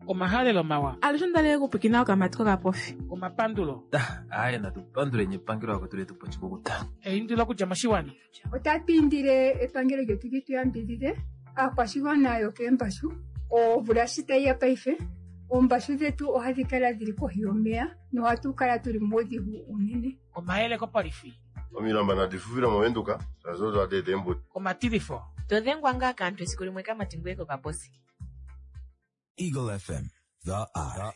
Omahalelo mawa. Alushe onda li okupwikina okamati kokapofi. Omapandulo. Aaye natu panduleni epangelo lako tuli tupa oshikukuta. Eindilo okudja moshiwana. Otatu indile epangelo lyetu li tu yambidhidhe aakwashigwana yokeembashu. Omvula shi tayi ya paife, oombashu dhetu ohadhi kala dhili kohi yomeya nohatu kala tuli muudhigu uunene. Omayele kopolifi. Omilamba nadi fufile moVenduka shaashi odo hadi eta eembuto. Omatilifo. To dhengwa ngaa kaantu esiku limwe kamati ngweye kokaposi. Eagle FM, the eye.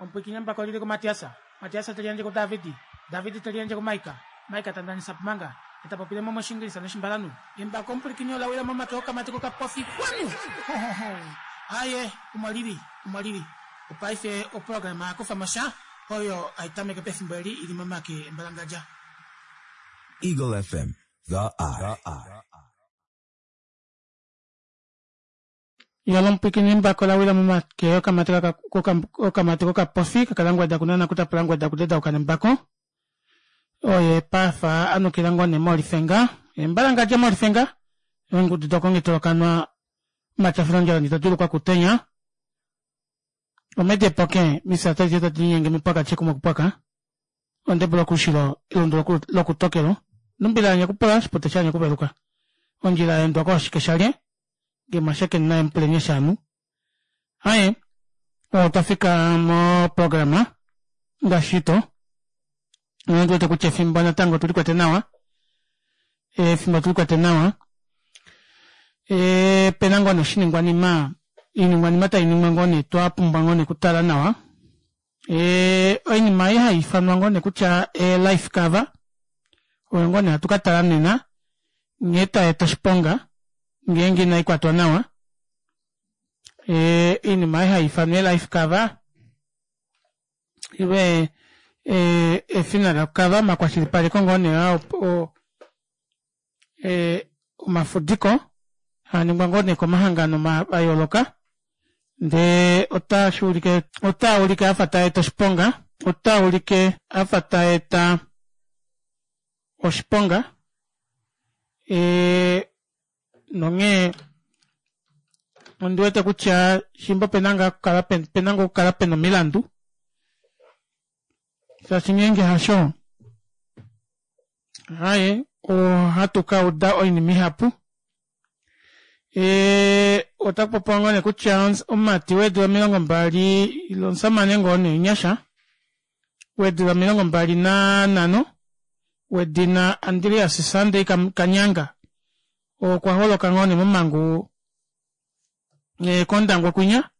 Omupwiikini mbaka oli li kuMatiasa. Matiasa te liyandje kuDavidi. Davidi te liyandje kuMaika. Maika ta ndanisa pumanga. E ta popile mo mOshiingilisa nOshimbalanhu. Embako omupwilikini ola wila momake okamati kokapofi. Kwanu! Ho, ho, ho! Aye, omo li li. Omo li li. Opaife oprograma ya kufa mo sha, oyo hai tameke pefimbo eli i li momake embalangadja. Eagle FM, the eye. Yalo omupwikini embako la wila momake okamati okamati kokapofi kakalangweda kunana kutapula ngweda kudedauka nembako oye pafa anukila ngoo ne molifenga embalangadja molifenga eengudu dokongitolokanwa matyafilondjala nditodulukwa kutenya omedepoke misata tadi linyenge mipwaka chekumwe kupwaka ondebula okushilo elundu lokutokelo numbila yanye kupula shipote shanye kuveluka ondjila yaendwa kooshike shalye ngemashekeni naye mupulenye shanu aye otwa fika moprograma ngaashi to ondi wete kutya efimbo natango otuli kwete nawa efimbo otuli kwete nawa e, pena ngoo noshiningwanima iiningwanima tai ningwa ngoo nee twa pumbwa ngoo nee kutala nawa E, oinima ei hai ifanwa ngoo nee kutya e life cover oyo ngoo nee hatu ka tala nena nghee tai eta oshiponga ngeenge inai kwatwa nawa. E, oinima ei hai ifanwa e life cover ile e, e funeral cover omakwashilipaleko ngoo nee oo e, omafudiko haa ningwa ngoo nee komahangano a yooloka ndee otashi ulike otaa ulike afa taa eta oshiponga otaa ulike afa taa eta oshiponga e, nonghee ondi wete kutya shimba opena ngaa okukala pena ngaa okukala pena omilandu shaashi ngeenge hasho Haye, ohatu ka uda oinima ihapu. E, otaku popiwa ngoo nee kutya omumati weedula 20 ile omusamane ngoo nee omunyasha weedula 25 wedina Andreas Sunday Kanyanga okwa holoka ngoo nee momhangu e, kOndangwa kwinya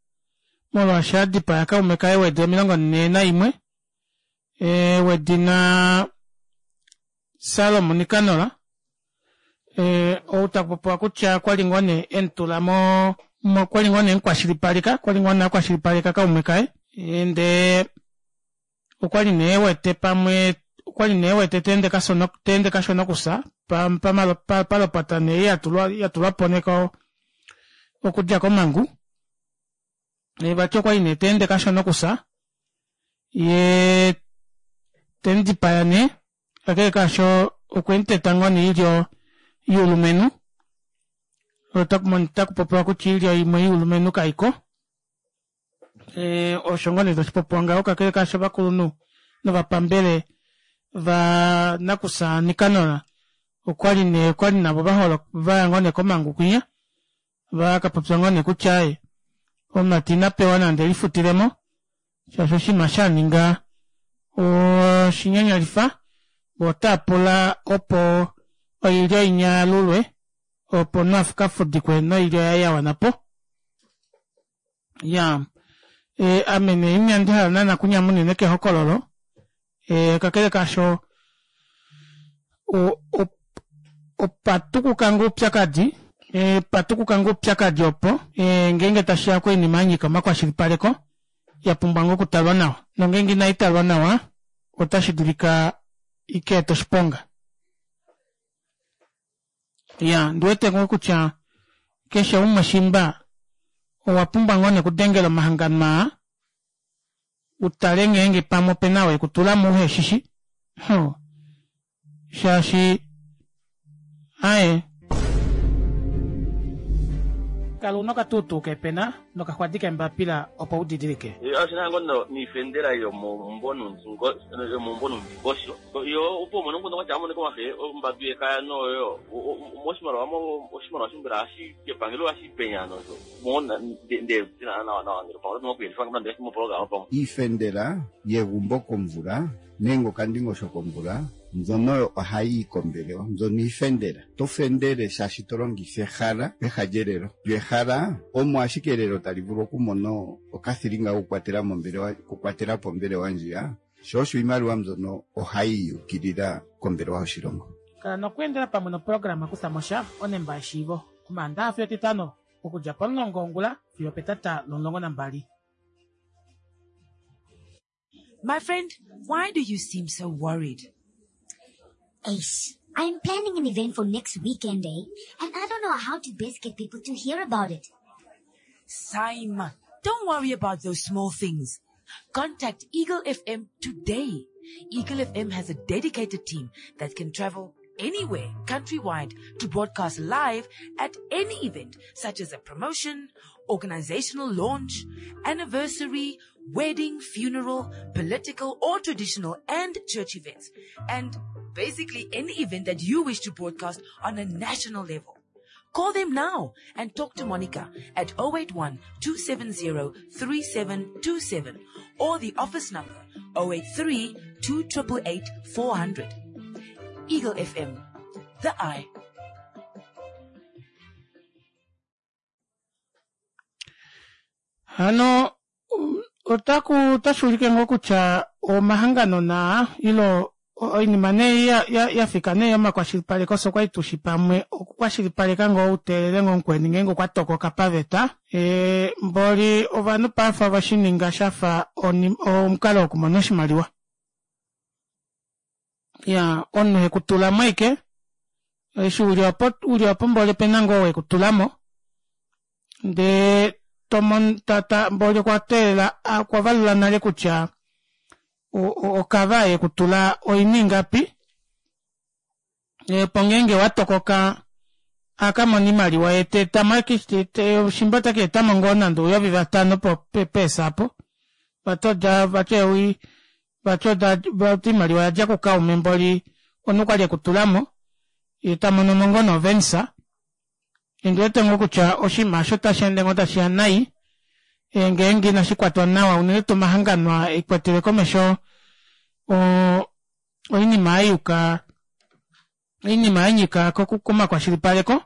molwaashi a dipaya kaume kaye weedula 41 e, wedina Salomo Nikanor e, ou taku popiwa kutya kwa li ngoo nee e mu tula mo kwa li ngoo nee emukwashilipaleka kwa li ngoo nee akwashilipaleka kaume kaye e, ndee okwa li nee wete pamwe okwa li nee wete teende kashona teende kashona okusa palopota nee yatulwa yatulwa po nee okudja komhangu e, vati okwa li nee teende kashona okusa ye te mu dipaya nee kakele kaasho okwe mu teta ngoo nee iilyo yuulumenhu otaku popiwa kutya iilyo imwe yuulumenhu kaiko e, osho ngoo nee tashi popiwa ngaho kakele kaasho ovakulunhu novapambele va nakusa Nikanor okwali nee okwali navo vaholo vaya ngoo nee komhangu kwinya va ka popya ngoo nee kutya aye omumati ina pewa nande elifutilemo shaashi oshinima sha ninga oshinyanyalifa vo otaa pula opo oilyo inya yalulwe opo omunhu a ka fudikwe noilyo yaye ya wana po ya e, ame nee inandi hala naana kunyamunene kehokololo e, kakele kaasho opa tukuka ngoo oupyakadi e, pa tukuka ngoo oupyakadi opo e, ngeenge tashi ya koinima ya nyika omakwashilipaleko ya pumbwa ngoo okutalwa nawa nongeenge inai talwa nawa otashi dulika i ka ete oshiponga ya ndi wete ngoo kutya keshe umwe shimba owa pumbwa ngoo nekudengela omahangano aa u tale ngeenge pamwe ope na oo e ku tula mo uhe shi shi. Ho. Shaashi aye. Kala una okatuutuu kepena. Nokaxwadi keembapila opo u didilike. Oshi na ngo niifendela yomomumvo nuundingosho yo opo umone omukundu gwatya amonike omafe ombambi yekaya noyo moshimaliwa mo oshimaliwa shombela hashi kepangelo hashi penya nosho mo nde nawa nawa ngele pamwe oto kuyelifa nande mopologama pamwe. Iifendela yegumbo komvula nenge okandingosho komvula mbyono oyo ohayi yi kombelewa mbyono iifendela. Oto fendele shaashi to longitha ehala peha lyelelo. Lyo ehala omo ashike elelo tali vulu okumona okathilinga kokukwatela mombelewa okukwatela po ombelewa ndjiya, sho osho iimaliwa mbyono ohayi yukilila kombelewa yoshilongo. Kala nokweendela pamwe noprograma Kutha mo sha, onemba yeshiivo, Omaandaha fiyo Etitano, okudja pomulongo wongula fiyo opetata lomulongo nambali. My friend, why do you seem so worried? Ace, I'm planning an event for next weekend, eh? And I don't know how to best get people to hear about it. Saima, don't worry about those small things. Contact Eagle FM today. Eagle FM has a dedicated team that can travel anywhere countrywide to broadcast live at any event such as a promotion, organizational launch, anniversary, wedding, funeral, political or traditional and church events, and basically any event that you wish to broadcast on a national level. Call them now and talk to Monica at 081 270 3727 or the office number 083 288 400. Eagle FM, the eye. Hano otaku otashi ulike ngoo kutya omahangano naa ilo oinima nee ya, ya, ya fika nee yomakwashilipaleko so kwali tushi pamwe okukwashilipaleka ngoo uteelele ngoo mukweni ngeenge okwa tokoka paveta e, mboli ovanhu paife ove shi ninga shafa omukalo wokumona oshimaliwa ya omunhu he ku tula mo aike eshi uli opo uli opo mboli opena ngoo we ku tula mo ndee tomon tata mboli okwa teelela okwa valula nale kutya okava ye ku tula oini ingapi opo ngeenge wa tokoka a ka mona iimaliwa ye te etamo shimba ota ka etamo ngoo nande ouyovi vatano peesa apo vati oda vati ewi vati oda vati iimaliwa ya dja kukaume mboli omunhu kwali ekutulamo ye ta mono mo ngoo novensa ondi wete ngoo kutya oshinima osho otashi ende ngoo tashi ya nai ngeenge inashi kwatwa nawa unene tuu omahangano e kwetele komesho oinima ya yuka oinima ya nyika komakwashilipaleko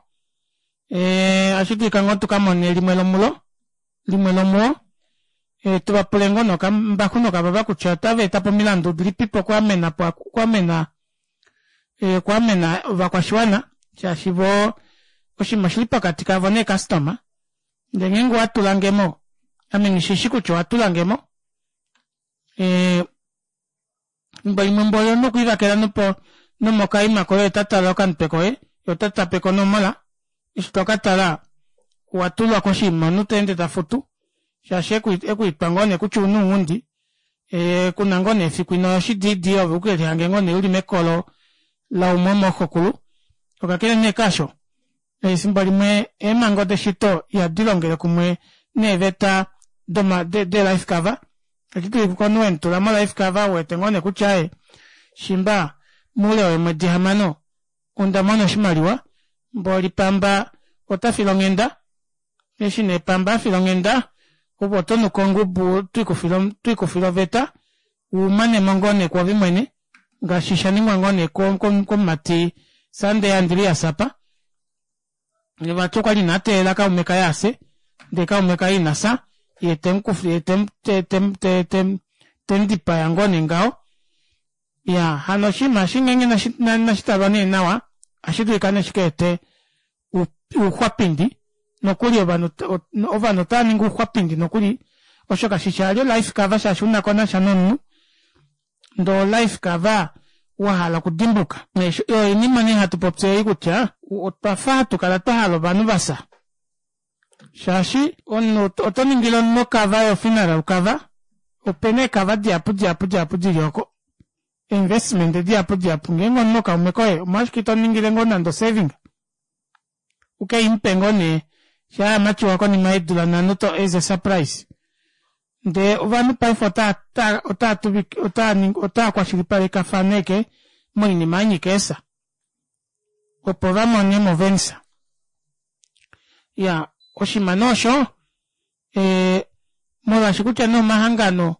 ohashi dulika ngoo tu ka mone limwe lomulo limwe lomuo tu va pule ngoo nokambaxu nokavava kutya otava eta po omilandu dilipipo okuamena po okuamena okuamena ovakwashiwana shaashi vo oshinima oshili pokati kavo neekastoma ndee ngeenge owa tula nge mo ame nghishishi kutya owa tula nge mo Efimbo limwe mboli omunhu okwe livakela nopo nomokaima koye ota tala okamutwe koye ye ota tape ko onomola eshi to ka tala owa tulwa koshinima omunhu ta ende ta futu shaashi eku itwa ngoo nee kutya ouna ounghundi kuna ngoo nee efiku ino ya oshidiidi ove uke lihange ngoo nee uli mekolo laumwe womooxokulu okakele nee kaasho Efimbo limwe eemhango deshito ihadi longele kumwe neeveta doma, de, de life cover. Edi dili komunhu we mu tula mo life cover u wete ngoo nee kutya aye shimba moule weemwedi hamano onda mona oshimaliwa, mboli pamba ota file onghenda. Eshi nee pamba a fila onghenda, ove oto nuka ongubu to ikufile oveta u mane mo ngoo nee kwoove mwene ngaashi sha ningwa ngoo nee komumati Sunday Andreas apa. Vati okwa li ina teelela kaume kaye a fye, ndele kaume kaye ina fya, ye te mu kufa, ye te mu te te te mu dipaya ngoo nee ngaho. Ya hano oshinima eshi ngeenge inashi talwa nee nawa, ohashi dulika nee shi ka ete ouxwapindi nokuli ovanhu ovanhu otava ningi ouxwapindi nokuli osho kashi shi ali olife cover shaashi una ko nasha nomunhu ndee olife cover wa hala okudimbuka oyo oinima nee hatu popi ei kutya otwa fa hatu kala twa hala ovanhu va fya shaashi omunhu oto ningile omunhu okava yofuneral cover opena eekava dihapu dihapu dihapu dili oko investment dihapu dihapu ngeenge omunhu kaume koye omolwashike ito ningile ngoo nande osaving uke i mupe ngoo nee Shaa yamatyuwa konima yeedula nhano to as a surprise. Ndee ovanhu paife otaa otaa tuvike otaa ningi otaa kwashilipalekafana eke moinima ya nyika eesa opo va mone mo venisa. Ya oshinima nee osho ee molwaashi kutya nee omahangano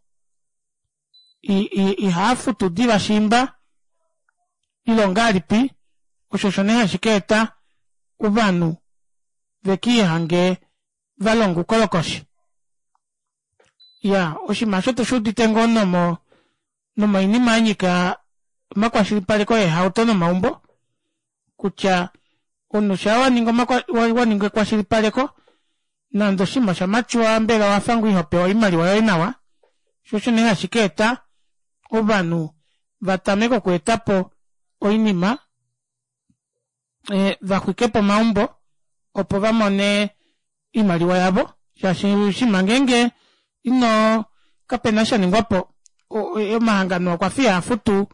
ihaa futu diva shiimba ile ongahelipi osho osho nee hashi ka eta ovanhu ve kiihange va longa oukolokoshi. Ya oshinima osho otu shi udite ngoo nomo nomoinima ya nyika omakwashilipaleko eehauto nomaumbo kutya omunhu shaa wa ninga wa ninga ekwashilipaleko nande oshinima osha matyuwa mbela owa fa ngoo iho pewa oimaliwa yoye nawa sho osho nee hashi ka eta ovanhu va tameke okweeta po oinima eh, va xwike po omaumbo opo va mone oimaliwa yavo shaashi shima ngeenge ino kapena sha ningwa po omahangano okwa fi haa futu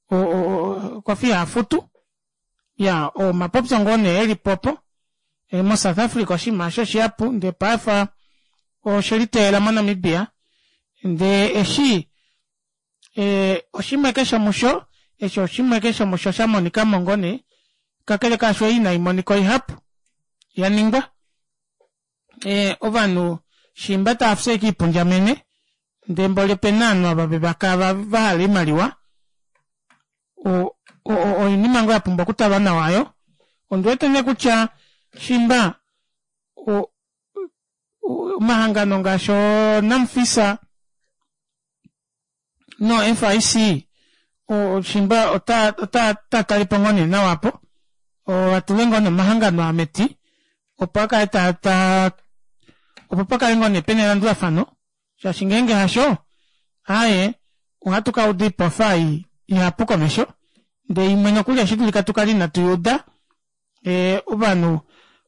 okwa fi haa futu ya omapopyo ngoo nee eli popo e, moSouth Africa oshinima osho shihapu ndee paife oshe liteyela moNamibia ndee eshi e, oshimwe keshe musho eshi oshimwe keshe musho sha monika mo ngoo nee kakele kaasho ei inai monika oihapu ya ningwa e, ovanhu shimba tava fye kiipundjamene ndee mboli opena ovanhu ava vevaka va hala oimaliwa oinima ngoo ya pumbwa okutalwa nawa ayo ondi wete nee kutya shimba omahangano ngaashi oNamfisa noFIC shimba ota ota tale po ngoo nee nawa apo atule ngoo nee omahangano ameti opo a kale ta ta opo pa kale ngoo nee pena elandulafano shaashi ngeenge hasho aaye ohatu ka uda oipofa ei ihapu komesho ndee imwe nokuli ohashi dulika tu kale inatu i uda e, ovanhu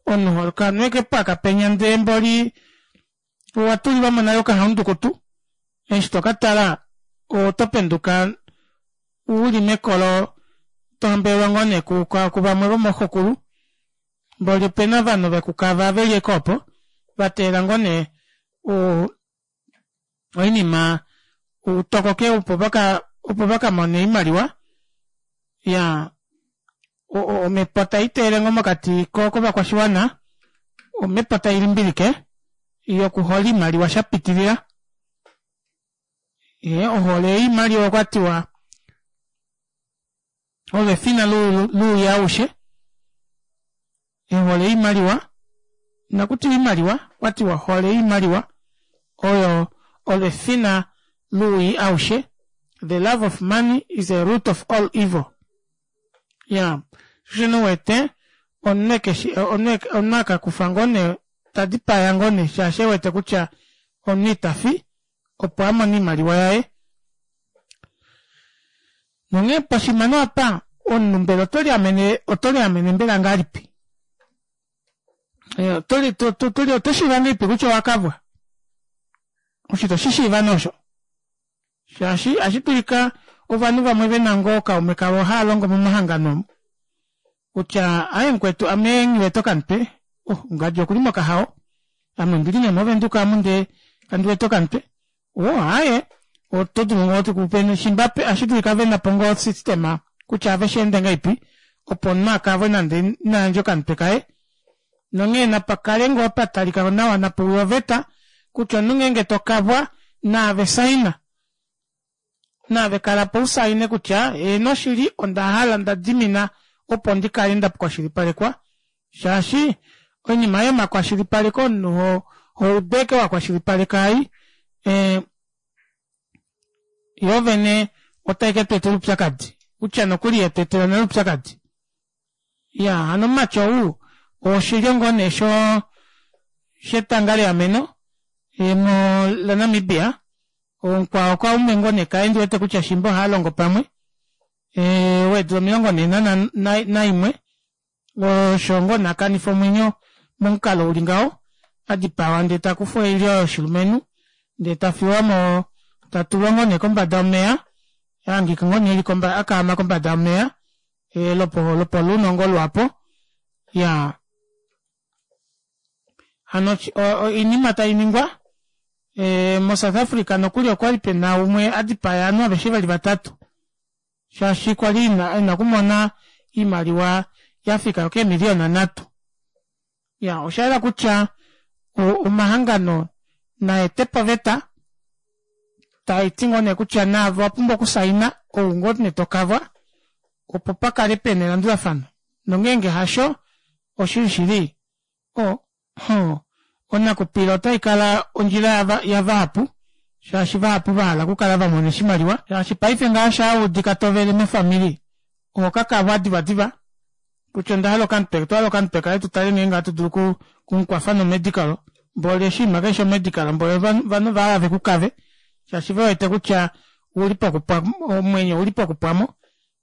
omunhu kanweke paka penya ndee mboli owa tulilwa mo nale okahaundukutu eshi to ka tala oto penduka u li mekolo to hambelelwa ngoo nee kuvamwe vomooxokulu mboli opena ovanhu vekukava ve li eke opo va teelela ngoo nee oinima utokoke opo vaka opo vaka mone oimaliwa ya omhepo tai teele ngoo mokati kovakwashiwana omhepo tai limbilike yokuhola oimaliwa sha pitilila ye ohole yoimaliwa okwa tiwa olo efina luuya aushe ehole yoimaliwa inaku tiwa oimaliwa okwa tiwa ohole yoimaliwa oyo olo efina luuyi aushe the love of money is a root of all evil ya shino wete omunhu keshi omunhu akakufa ngoo nee ta dipaya ngoo nee shaashi e wete kutya omunhu ita fi opo a mone oimaliwa yaye. Nonghee poshimano apa omunhu mbela oto liamene oto liamene mbela ngahelipi? Eh, oto li to to to oto shiiva ngahelipi kutya owa kavwa? Osho ito shi shiiva nee osho. Shaashi ohashi dulika ovanhu vamwe ve na ngoo ookaume kavo hava longo momahangano omu kutya aye mukwetu ame nghi wete okamutwe oh ngadi okuli mokahao ame ondili nee movenduka amu ndee kandi wete okamutwe oh aaye oto dulu ngoo tukupe shimba ohashi dulika ve na po ngoo osystema kutya ave shi ende ngahelipi opo omunhu a kavwe nande ina yandja okamutwe kaye nonghee napa kale ngoo pa talika nawa napa uye oveta kutya omunhu ngeenge to kavwa naave saina naave kala po usaine kutya heeno shili onda hala nda dimina opo ndi kale nda kwashilipalekwa shaashi oinima yomakwashilipaleko omunhu ho houdu eke wa kwashilipaleka ai eh, yoo vene otai ke tu etela oupyakadi kutya nokuli yetu etela nale oupyakadi ya hano omumati ou oshilyo ngoo nee sho shetanga leameno mo laNamibia omukwao kaume ngoo nee kaye ndi wete kutya shimba ohava longo pamwe weedula 41 osho ngoo nee akanifa omwenyo momukalo uli ngaho adipawa ndee takufwa oilyo yoshilumenhu ndee tafiwa mo tatulwa ngoo nee kombada yomeya ahangika ngoo nee eli akaama kombada yomeya lopo lopoluno ngoo lwaapo ya. Hano oinima tainingwa e, mo South Africa nokuli okwali pena umwe adipaya ovanhu aveshe vali vatatu shaashi kwali ina, ina kumona iimaliwa yafika keemiliyona nhatu. Ya oshayela kutya omahangano naete poveta taiti ngoo nee kutya naavo owapumbwa okusaina ou ngoo nee tokavwa opo pakale pena elandulafano nongeenge hasho oshili shili o ho onakupila otai kala ondjila yavahapu shaashi vahapu vahala okukala vamona oshimaliwa shaashi paife ngaa shaa udika tovele mofamili oho kakavwa divadiva kutya onda hala okamutwe otwa hala okamutwe kaye tutale ngeenge ohatu dulu okumukwafa nomedical mboli oshinima keshe omedical mboli ovanhu vahala vekukave shaashi ve wete kutya ouli pokupwa omwenyo ouli pokupwamo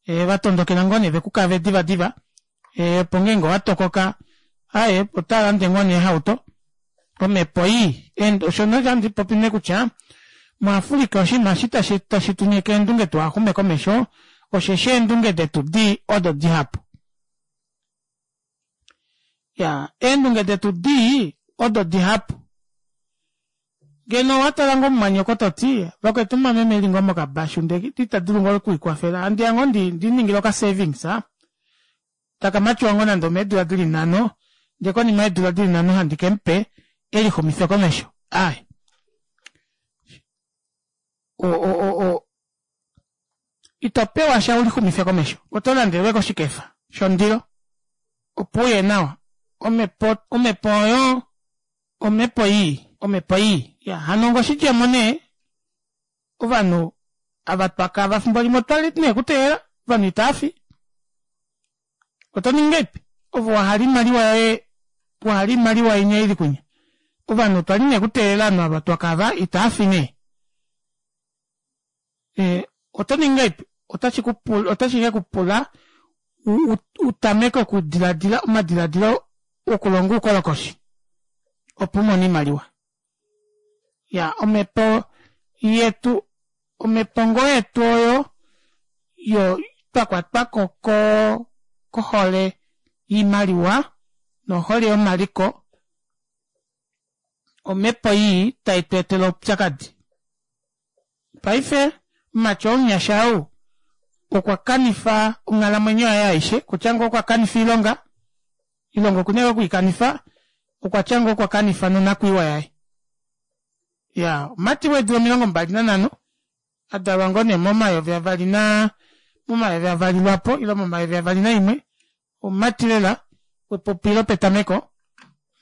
e, vatondokela ngoo nee vekukave divadiva e, opo ngeenge owatokoka aye ota lande ngoo nee ehauto omhepo ii osho nohandi popi nee kutya muAfrica oshinima eshi tashi tashi tu nyeke eendunge tuhaxume komesho osheshi eendunge detu dii odo dihapu ya eendunge detu dii odo dihapu ngeno owa tala ngoo mumwanyoko toti vakwetu mameme eli ngoo mokabashu ndee ita dulu ngoo okulikwafela handiya ngoo ndi ndi ningile oka savings a taka matiwa ngoo nande omeedula dili nhano ndee konima yeedula dili nhano handi ke mupe elixumife komesho ai o, o, o, o, ito pewa sha ulixumife komesho oto landelwe koshikefa shondilo opo uye nawa omhepo omhepo oyo omhepo ii omhepo ii ya hano ngoshidjemo nee ovanhu ava twakava fimbo limwe otwa li nee kuteelela ovanhu itaafi oto ningi ngahelipi ove wa hala oimaliwa yoye wa hala oimaliwa inya ili kunya ovanhu otwa li nee kuteelela ovanhu ava twakava itaafi nee e, oto ningi ngahelipi otashi ku pula otashi ke ku pula u tameke okudiladila omadiladilo okulonga oukolokoshi opo u mone oimaliwa Ya, omhepo yetu, omhepo ngoo yetu oyo yo twa kwatwa ko ko kohole yiimaliwa nohole yomaliko, omhepo ii tai tu etele oupyakadi. Paife omumati oo omunyasha ou okwa kanifa onghalamwenyo yaye aishe, kutya ngoo okwa kanifa oilonga, Ilonga oku na oku i kanifa, okwa tya ngoo okwa kanifa nonakwiiwa yaye. Ya, omumati weedula 25, a dalwa ngoo nee momayovi avali na, momayovi avali lwapo, ile momayovi avali naimwe, omumati lela wepupi lopetameko,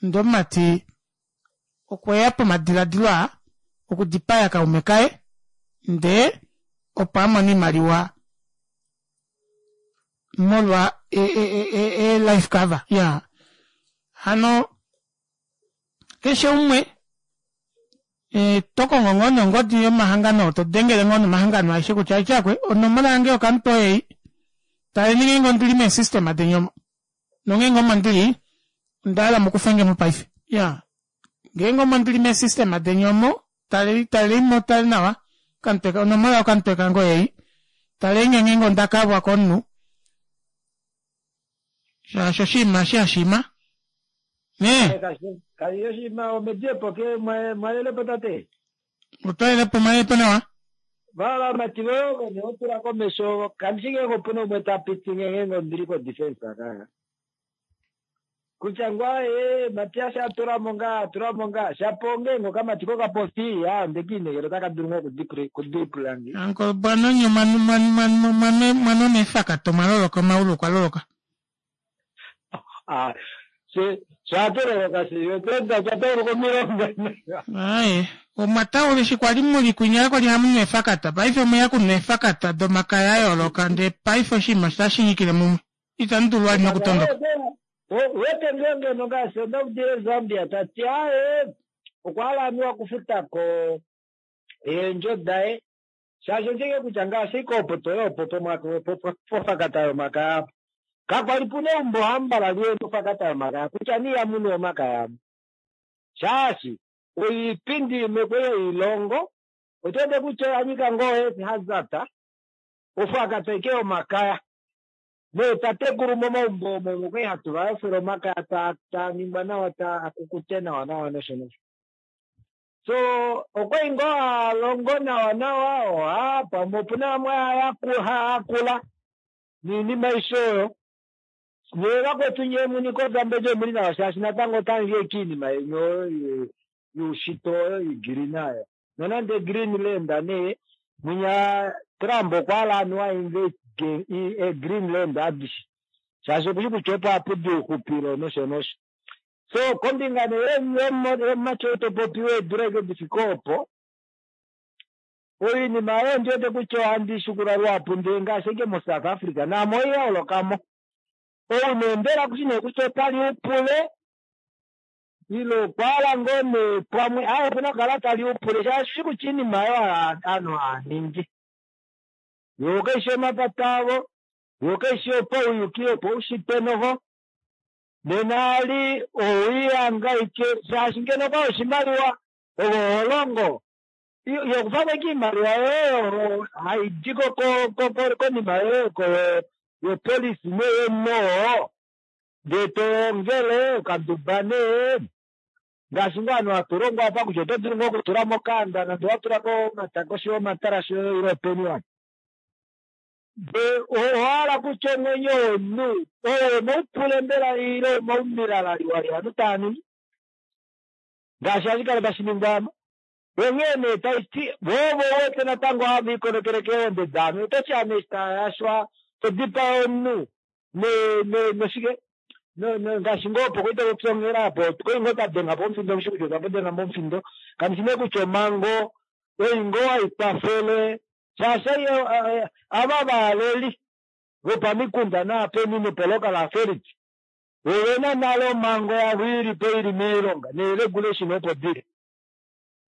ndee omumati okwe ya pomadiladilo aa okudipaya kaume kaye, ndee opo a mone oimaliwa molwa e, e, e, e, e life cover ya hano keshe umwe e, to kongo ngoo nongodi yomahangano to dengele ngoo nomahangano aeshe kutya ityakwe onomola yange yokamutwe oyeyi taleni ngeenge ondili meesystem deni omo nongeenge omo ndili onda hala mukufenge mo paife ya ngeenge omo ndili meesystem deni omo Talei, talei mo, tale nawa. Okamutwe, onomola yokamutwe kange oyeyi. Talei nge ngeenge onda kavwa komunhu. Shaashi oshinima eshi hashima. Nee. Kashi oshinima omediepo ke mwalele po tate. Otwalele po mwalele po nawa. Vala mati voye ovo ne otula komesho kandi shi ngeenge opuna umwe ta piti ngeenge ondili ko defense kaya. Kutya ngoo ee Matias a tula mo ngaa a tula mo ngaa shapo ongeenge okamati kokapofi yaa onde kiinekela otaka dulu ngoo okudripula nge. Uncle Bwanonye mwa neefakata omwa loloka omaulu okwa loloka. Ah, she sha shi otwa twa tauluka omilonga. Aye, omwa taula eshi kwali muli kwinya kwali hamu nu eefakata paife omweya kunwa eefakata domakaya a yooloka ndee paife oshinima otashi nyikile mumwe. Itamu dulu vali nokutondoka. Wete ngoo ngeno ngaashi onda udile Zambia ta ti aaye okwa hala anuwa okufuta ko eendjo daye shaashi oshike kutya ngaashi ike opo toya opo pofakata yomakaya apa kakwali puna eumbo hamba lali pofakata yomakaya kutya nee ihamu nu omakaya amu shaashi oipindi imwe kwei yoilongo oto wete kutya oya nyika ngoo health hazard ofakata ike yomakaya. Neetatekulu momaumbo omo okwali hatu va yofele omakaya taa ningwa nawa taa kukute nawa nawa nosho nosho. So okwali ngoo haalongo nawa nawa oha pamwe opuna vamwe haayakula niinima aishe oyo. Nyee vakwetu nyee muni koZambezi omuli nawa shaashi natango otamuli ashike oinima yeni oyo youshitwe oyo igreen oyo. Nonande Greenland nee mwinya Trump okwa hala anuwa ainvest Greenland adishe shaashi okushi kutya opo hapudi ouxupilo nosho nosho. So kombinga nee yomumati ou topopi weedula ashike difike opo, oinima oyo ondiwete kutya ohandi shikula luhapu ndee ngaashi ashike moSouth Africa naamo oiya holokamo. Ou nee mbela kushi nee kutya otali upule ile okwa hala ngoo nee pamwe aaye opena okukala tali upule shaashi ushi kutya oinima oyo ovanhu hava ningi yoo kaishi omapata avo yoo kaishi yopauyuki yopaushitwe noho nena ali owiihangaike shaashi ngeno okwali oshimaliwa ove oho longo yokufako ashike oimaliwa yoye oyo haidi konima yoye yopolisi neyo ndee toongele okaduba nee ngaashi ngoo ovanhu hatu longo apa kutya oto dulu ngoo okutula mokaanda nande watulako koshi yomatalasi oyo ile openi wani. Ndee owahala kutya omwenyo womunhu owo omaupule mbela ile omaumilalaliwali ovanhu tava ningi ngaashi hashi kala tashi ningwa ama. Onghee nee taiti voo vo wete natango hava ikonekele keehonde daanhu ototi ame eshi tayashwa todipaa omunhu noshike ngaashi ngoo opo kwali tapopi onghela apo okwali ngoo twadenga po omufindo mushi kutya otwa denga po omufindo kandi shi nee kutya omhango ei ngoo haikwafele shaashi ava valeli vopamikunda naapeni nopolocal authority ovena nale omhango yavo ilipo ili moilonga neeregulation opo dili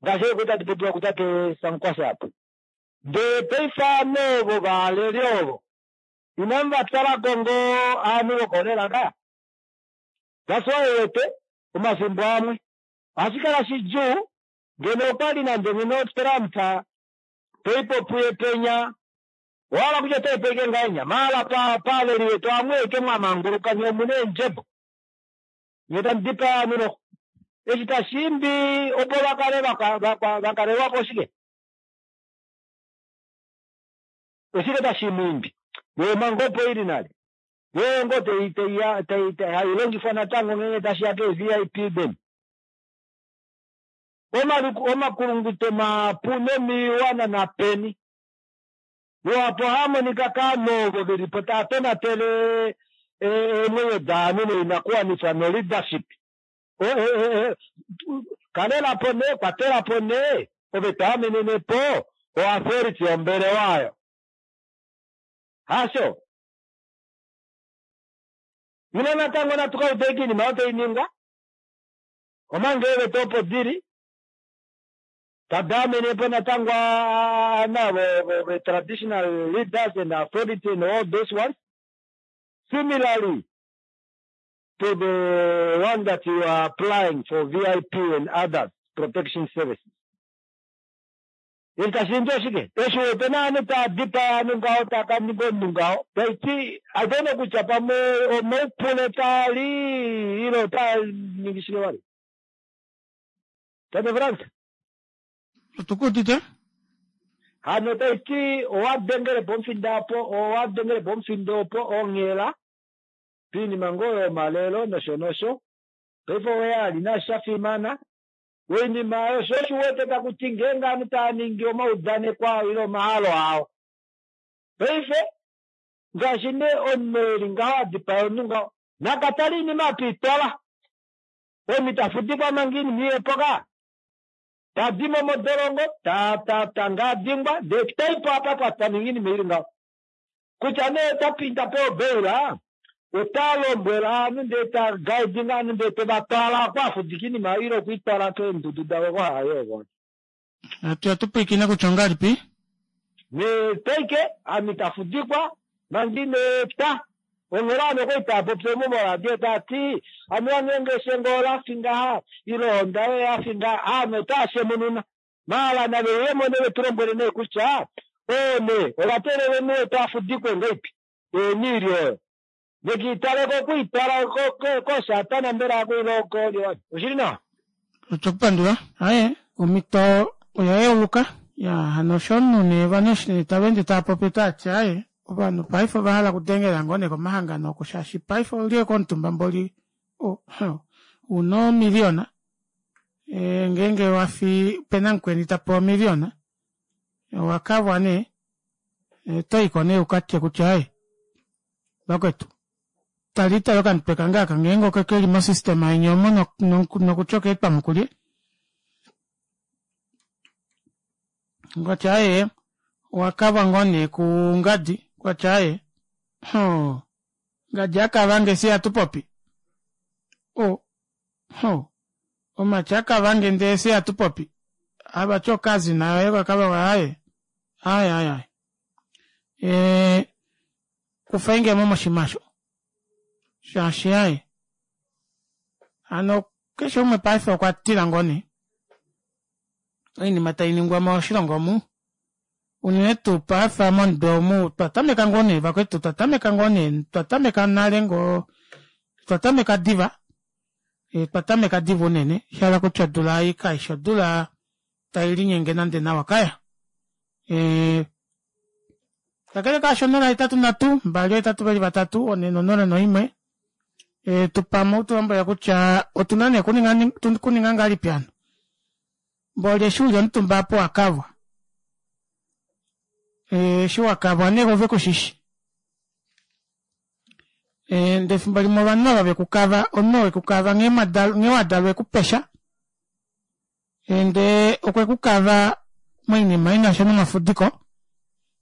ngaashi oyo kwali tati popiwa kutate Sankwasa apo. Ndee paife ovanhu ovo valeli ovo inamu vatalako ngoo ovanhu vokolela ngaa. That's why uwete omafimbo amwe ohashi kala shidjuu ngeno okwali nande ngeno Trump toipo puye penya owahala kutya otaipo ashike ngahenya maala paaleli vetu amwe eke mwamanguluka nyee omuna eendjebo nyee tamu dipaa ovanhu noxo eshi tashiimbi opo vakale vakalelwapo oshike oshike tashimuimbi yoo omhango opo ili nale yoo ngoo hailongifwa natango ngeenge tashiya kee VIP deni. Omakulunguto mahapu nomiiwana napeni luhapu ohaamonika kaanhu ovo velipo tava tonatele eemwenyo daanhu noinakuwanifwa no leadership. Kalelapo nee kwatelapo nee ove toamenenepo o authority yombelewa oyo. Hasho? Ile natango natu ka ude oinima oyo tainingwa omanga eeveta opo dili tadaamenepo natango navo traditional leaders and authority and all those ones. Similarly to the one that you are applying for VIP and others protection services. Eshi tashi oshike? Eshi wete ovanhu tava dipaa ovanhu ngaho tava ka ninga omunhu ngaho taiti I don't know kutya pamwe omaupule taali ile otaa ningi shike vali. Tate Frans? Otukuudite? Hano taiti owa dengele po omufindo opo owa dengele po omufindo opo onghela piinima ngoo yomalelo nosho nosho paife oya ali nasho shafimana oinima oyo sho oshiwete takuti ngeenge ovanhu tava ningi omaudaneko ao ile omahalo ao paife ngaashi nee omunhu eli ngaho adipaya omunhu ngaho nakatale oinima apiitwala omunhu tafudikwa manga oinima iyepo ka tadimo modolongo tangaadingwa ndee taipo apa taningi oinima ili ngaho kutya nee tapinda pe obeila ota lombwela ovanhu ndee tagaidinga ovanhu ndee tovatwala oko afudika oinima ile okwiitwala keendudu davo oko haayo Atu tupwiikine kutya ongalipi? Nee taike ame tafudikwa manga ineeta onghela ovanhu okwali taapopi omo moradio taati anuwa ngeenge eshengo olafi ngaha ile ohonda yoye yafi ngaha ovanhu otaashemununa maala nave uyemo nee vetulombwele nee kutya oo nee ovateelele omunhu wetu afudikwe ngaipi eeniili oyo. Vekiitaleko okwiitala kosatana mbela akuile kolyo oshili nawa. Otokupandula aye omhito oya yeuluka ya hano osho omunhu nee ovanhu eshi nee tava ende tava popi otavati aaye ovanhu paife ova hala okudengela ngoo nee komahangano oko shaashi paife ouli komutumba mboli una omiliyona ngeenge wafi opena mukweni tapewa omiliyona owakavwa nee otoyiko nee ukatye kutya aaye vakwetu tali tale okamutwe kange aka ngeenge oko keli mosystema yeni omo nokutya okeetwamo kulye okwati aaye owakavwa ngoo nee kungadi okwati aaye hoo ngadi akavange fye hatupopi o ho omati akavange ndee fye hatupopi avati okazi nayo yoye kakavagwa aaye aaye aaye aaye ee kufainge mo moshimasho shaashi aaye hano keshe umwe paife okwa tila ngoo nee oinima tai ningwa moshilongo omu unene tuu paife momutwe omu twa tameka ngoo nee vakwetu twa tameka ngoo nee twa tameka nale ngoo twa tameka diva e, twa tameka diva unene sha hala kutya odula ei kaishi odula tai linyenge nande nawa kaya e, kakele kaasho 083 2 8 2 3 4 0 1 e, tupamo utulombwela kutya otuna nee kuninga kuninga ngahelipi hano mboli eshi uli omutumba apo wakavwa eshi wakavwa nee ove kushishi ndee efimbo limwe ovanhu ava vekukava omunhu wekukava nghee wadalwa ekupesha ndee okwekukava moinima inasha nomafudiko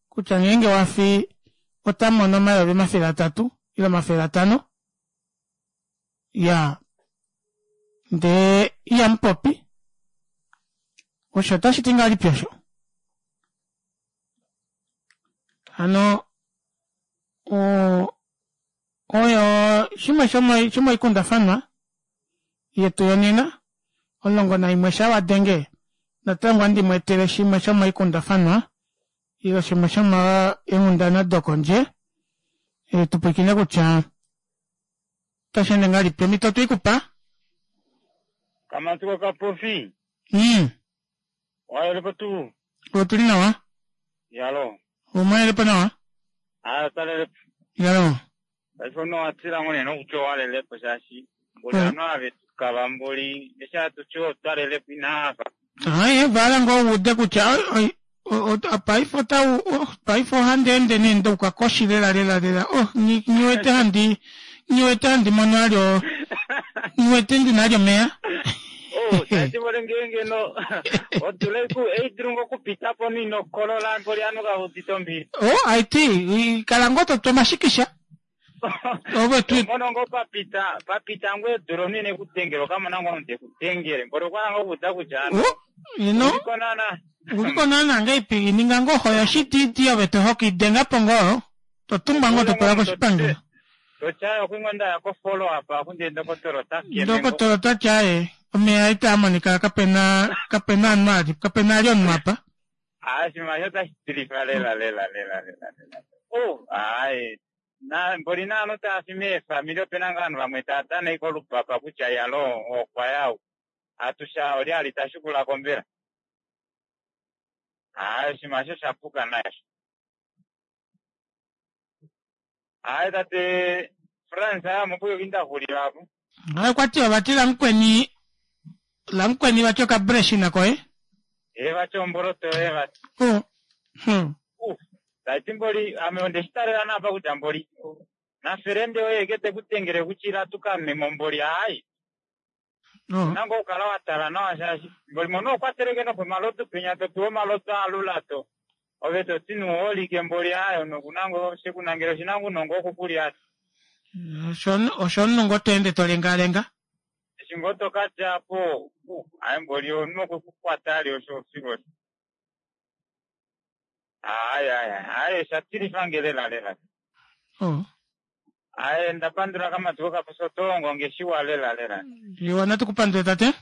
kutya ngeenge wafi ota mono 300 ile 500 ya ndee ihamupopi osho otashi ti ngahelipi osho hano oyo shimwe shomoikundafanwa yetu yonena 11 sha wadenge natango andi mu etele shimwe shomoikundafanwa ile shimwe shomoenghundana dokondje e, tupwilikine kutya otashi ende ngahelipi omhito otweikupa Kamatuko kapofi. Wayelepo tuu. Otuli nawa. Yalo. Omwayelepo nawa. Ah, talelepo. Yalo. Paife omunhu owatila ngoo nee nokutya owalelepo shaashi mboli ovanhu ava vetukava mboli eshi hatuti otwalelepo inaafa. Aye, vala ngoo uude kutya paife otau paife ohandi ende nee ndouka koshi lela lela lela oh nyiwete handi nyiwete handi mono alyo nyiwete ndina alyo omeya. Oh, tati mboli ngeenge no odula eidulu ngoo okupita po ino kolola mboli ovanhu kave udite ombili. Oh, aiti kala ngoo totu omashikisha. Ove tu Mono ngoo papita papita ngoo edula omunhu ine kudengela okamona ngoo omunhu tekudengele mboli okwa hala ngoo okuuda kutya ano ino uliko naana uliko naana ngeipi ninga ngoo hoyo shititi ove to hokidenga po ngoo totumbwa ngoo totwalwa koshipangelo. Totya okwingo ndaya ko follow up akunde ndokotolo ota keme ngoo. Ndokotolo otati aaye omeya itaa monika kapena kapena omunhu ali kapena ali omunhu apa. Ah, oshinima osho otashi tilifa lela lela lela lela lela. Oh, aaye na mboli naanhu tava fi meefamili opena ngaa ovanhu vamwe tava dana ashike olupapa kutya yalo okwa ya ou. Atusha olye ali ta shukula ko mbela. Aaye oshinima osho osha puka nayi osho. Aaye tate Frans ame opo nda xulila apo. Aye okwati ovati lamukweni lamukweni vati okabreshina koye. Ee vati omboloto yoye vati. Oh. Tati mboli ame onde shi talela naapa kutya mboli nafelende oye eke te ku dengele kutya ila tu ka nwe mo mboli aai. Ouna ngoo okukala wa tala nawa shaashi mboli mono okwa teleke nopomalodu penya to pewa omalodu alula to ove to ti nuuholike mboli aai omunhu okuna ngoo shekunangela oshina ngoo ounongo wokukulya. Osho omunhu ngoo to ende to lengaalenga. Eshi ngoo to ka dja po aai mboli omunhu okwe ku kwata ali osho filu osho. Aai aai aai osha tilifa nge lela lela. Oh. Ae ndapandula kamatuko kapofi oto longo nge shiwa lela lela. Iwa natu kupandule tate.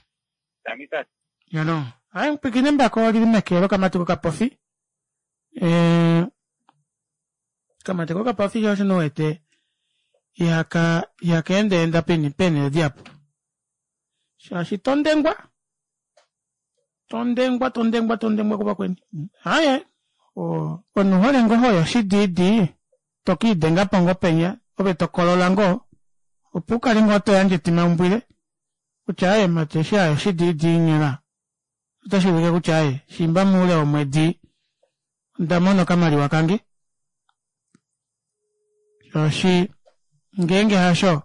Tangi tate. Yalo. Ae mpwikine mbako olili meke lokamatuko kapofi. Eh kamatuko kapofi osho no wete. Ihaka ihaka endaenda peni peenhele dihapu. Shaashi tondengwa tondengwa tondengwa tondengwa kuvakweni. Aaye omunhu hole ngoo hoyo shidiidi to kiidenga po ngoo penya ove to kolola ngoo opo u kale ngoo to yandje etimaumbwile kutya aaye mati eshi ayo shidiidi nyela otashi ulike kutya aaye shiimba moule womwedi onda mona okamaliwa kange shaashi ngeenge hasho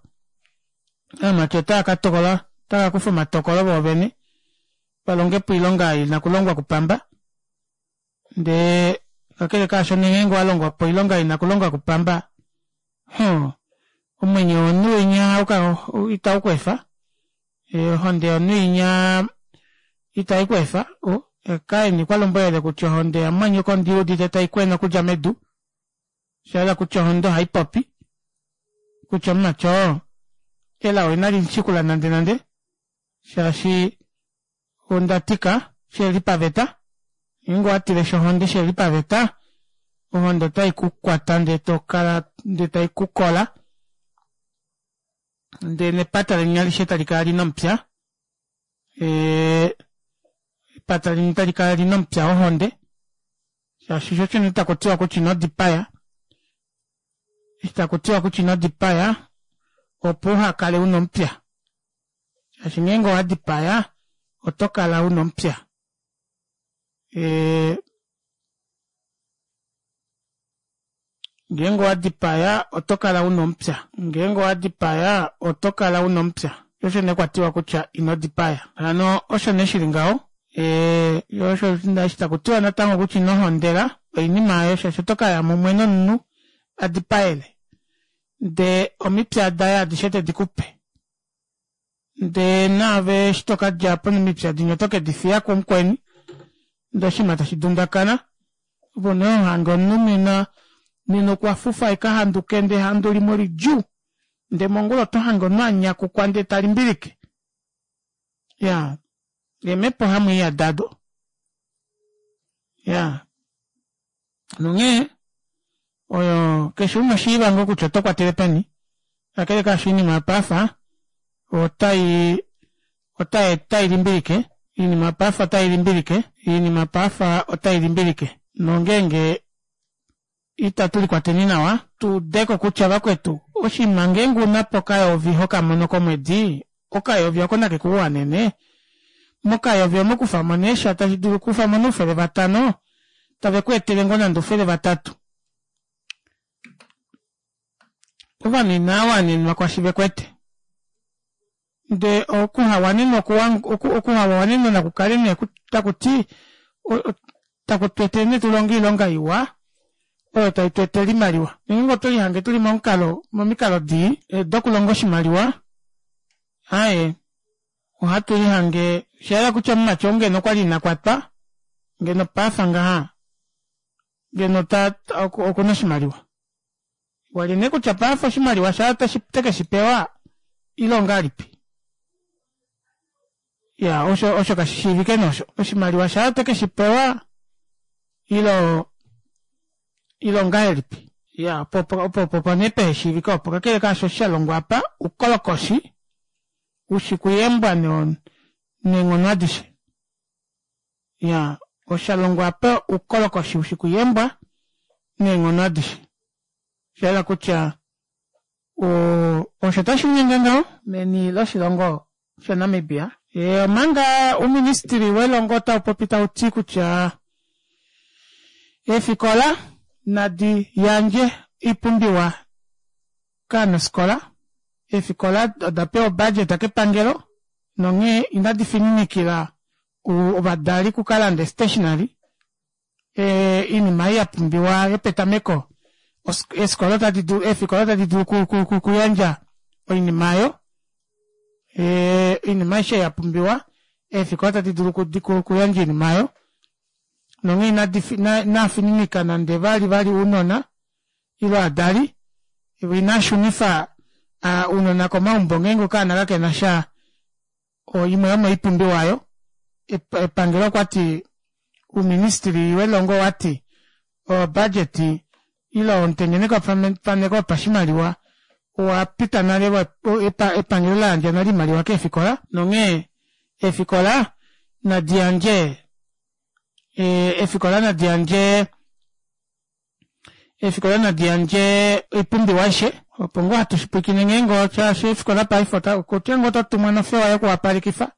aamati otava ka tokola otava kufa omatokolo voovene va longe po oilonga ina kulongwa kupamba ndee kakele kaasho ngeenge wa longwa po oilonga ina kulongwa kupamba huh, omwenyo womunhu winya itau ku efa ohonde yomunhu inya itai ku efa kaini kwa lombwelele kutya ohonde yamumwanyoko ondi udite tai kwena okudja medu osha yela kutya ohonde ohai popi kutya omumati oo elao inali shikula nande nande shaashi onda tika sheli paveta ngeenge owa tileshi ohonde sheli paveta ohonde otai ku kwata ndee to kala ndee tai ku kola ndee nepata leni alishe tali kala lina omupya epata leni tali kala lina omupya wohonde shaashi sho shene taku tiwa kutya ino dipaya eshi taku tiwa kutya ino dipaya opo uha kale una omupya shaashi ngeenge owa dipaya oto kala una omupya Ngeenge owa dipaya oto kala u na omupya. Ngeenge owa dipaya oto kala u na omupya. Osho nee kwa tiwa kutya ino dipaya. Hano osho nee shi li ngaho. Osho eshi taku tiwa natango kutya ino hondela oinima oyo shaashi oto ka ya mumwe nomunhu a dipaele ndee omipya daye adishe te di ku pe. Ndee naave eshi to ka dja po nomipya dinya oto ke di fiya kumukweni ndee oshinima tashi dundakana. Opo nee ho hange omunhu nena nena okwa fufa e ka handuke ndee ehandu limwe olidjuu ndee mongula oto hange omunhu a nyakukwa ndee ta limbilike. Ya, eemhepo hamu iya dado. Ya, nonghee oyo keshe umwe shiiva ngoo kutya oto kwatele peni kakele kaasho oinima yopaife otai otai otai limbilike oinima yopaife otai limbilike oinima yopaife otai limbilike nongeenge itatu likwateni nawa tu udeko kutya vakwetu oshinima ngeenge una po okayovi hokamono komwedi okayovi oko nake ku wanene mokayovi omo kufa mo nee sha tashi dulu kufa mo noufele vatano tave ku etele ngoo nande oufele vatatu ovanhu inaa wanenwa kwashi ve kwete ndee okuhawanenwa okuhawanenwa naku kale nee taku ti taku tu etele nee tu longe oilonga iwa oyo tai tu etele oimaliwa ngeenge oto lihange tuli momukalo momikalo dii eh, dokulonga oshimaliwa aye ohatu lihange shayela kutya omumati oo ngeno okwali ina kwatwa ngeno pafa ngaha ngeno ta okuna oshimaliwa Wali nee kutya paife oshimaliwa shaye otashi te ke shi pewa ile ongahelipi? Ya, osho osho kashi shiivike nee osho. Oshimaliwa shaye ote ke shi pewa ile ile ongahelipi? Ya, opo opo opo opo nee pehe shiivike opo. Kakele kaasho sha longwa apa, ukolokoshi ushi kuyembwa neenghono adishe. Ya, osha longwa apa oukolokoshi u shi kuyembwa neenghono adishe. Osha yela kutya osho tashi linyenge ngaho meni loshilongo shaNamibia. Omanga ouministili welongo otau popi tau ti kutya eefikola nadi yandje oipumbiwa kaanafikola. Eefikola oda pewa obudget kepangelo nonghee inadi fininikila ovadali okukalanda stationery oinima ei ya pumbiwa yopetameko eefikola otadi dulu eefikola otadi dulu okuyandja oinima oyo oinima aishe ya pumbiwa eefikola otadi dulu okuyandja oinima oyo nonghee inadi inafininika nande vali vali ounona ile ovadali ina shunifa ounona komaumbo ngeenge okaana kakena sha Oimwe yomoipumbiwa oyo, epangelo okwa ti uuministili welongo owa ti obudget ile omutengenekwa faneko wopashimaliwa Owa pita nale epangelo la yandja nale oimaliwa keefikola nonghee eefikola nadi yandje eefikola nadi yandje eefikola nadi yandje oipumbiwa aishe opo ngoo hatu shipwikine ngeenge shaashi eefikola paife okutya ngoo oto tumwa nofewa yokuwapalekifa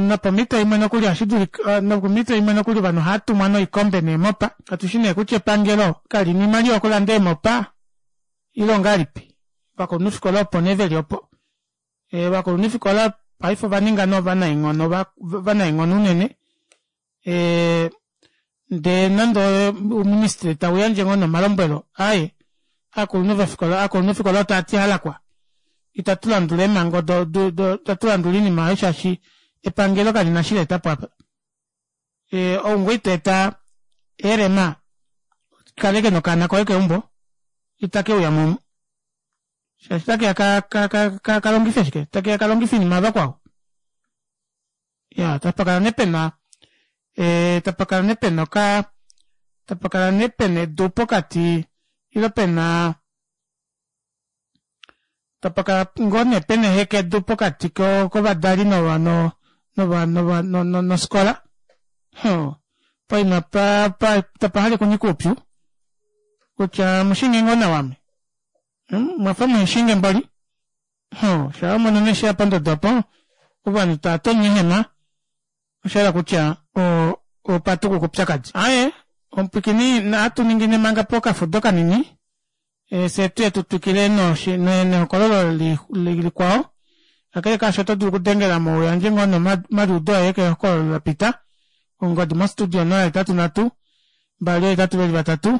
nopomhito imwe nokuli ohashi dulika nopomhito imwe nokuli ovanhu ohava tumwa noikombe neemopa katu shi nee kutya epangelo kali na oimaliwa yokulanda eemopa ile ongahelipi ovakulunhufikola opo nee veli opo ovakulunhufikola paife ova ninga nee ovanaenghono ovanaenghono unene ndee nande ouministry tau yandje ngoo nomalombwelo aye aakulunhu vofikola aakulunhufikola otava ti halakwa itatu landula eemhango do do do itatu landula oinima oyo shaashi epangelo kali na shi la etapo apa ou ngoo ito eta eelema kaleke nokaana koye keumbo itake uya mo shaashi otakeya ka ka ka ka longife shike takeya ka longife oinima yavakwao ya tapakala nee pena e, tapakala nee pena oka tapakala nee pena edu pokati ile pena tapakala ngoo nee pena ehekedu pokati kovadali nova no nova nova nofikola poima pa pa tapa hale kunyika oupyu kutya mushinge ngoo nawa ame hmm? mwafa muheshinge mboli shaa wamono nee sheya pondodo opo ovanhu tava tonya eehema osha hala kutya opatukuka oupyakadi. Aaye omupwikini ohatu ningi nee manga pokafudo kanini fye tuye tu twikile nehokololo likwao. Kakele kaasho oto dulu okudengela mo uyandje ngoo nomaliudo oye kehokololo la pita. Ongodi mostudio 083 2 8 4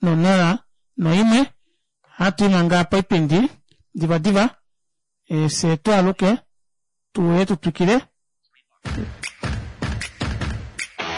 0 1. Ohatu i manga poipindi divadiva fye tu aluke tu uye tu twikile.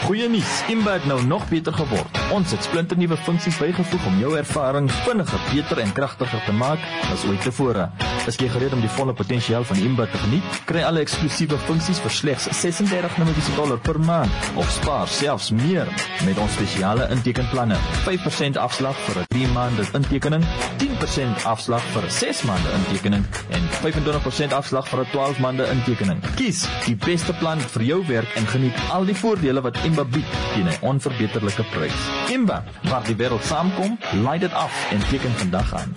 Goeie nuus, Imba het nou nog beter geword. Ons het splinternuwe funksies bygevoeg om jou ervaring vinniger, beter en kragtiger te maak as ooit tevore. Is jy gereed om die volle potensiaal van Imba te geniet? Kry alle eksklusiewe funksies vir slegs 36 Namibiese dollar per maand of spaar selfs meer met ons spesiale intekenplanne. 5% afslag vir 'n 3 maande intekening, 10% afslag vir 'n 6 maande intekening en 25% afslag vir 'n 12 maande intekening. Kies die beste plan vir jou werk en geniet al die voordele wat Imba bied teen 'n onverbeterlike prys. Imba, waar die wêreld saamkom, laai dit af en teken vandag aan.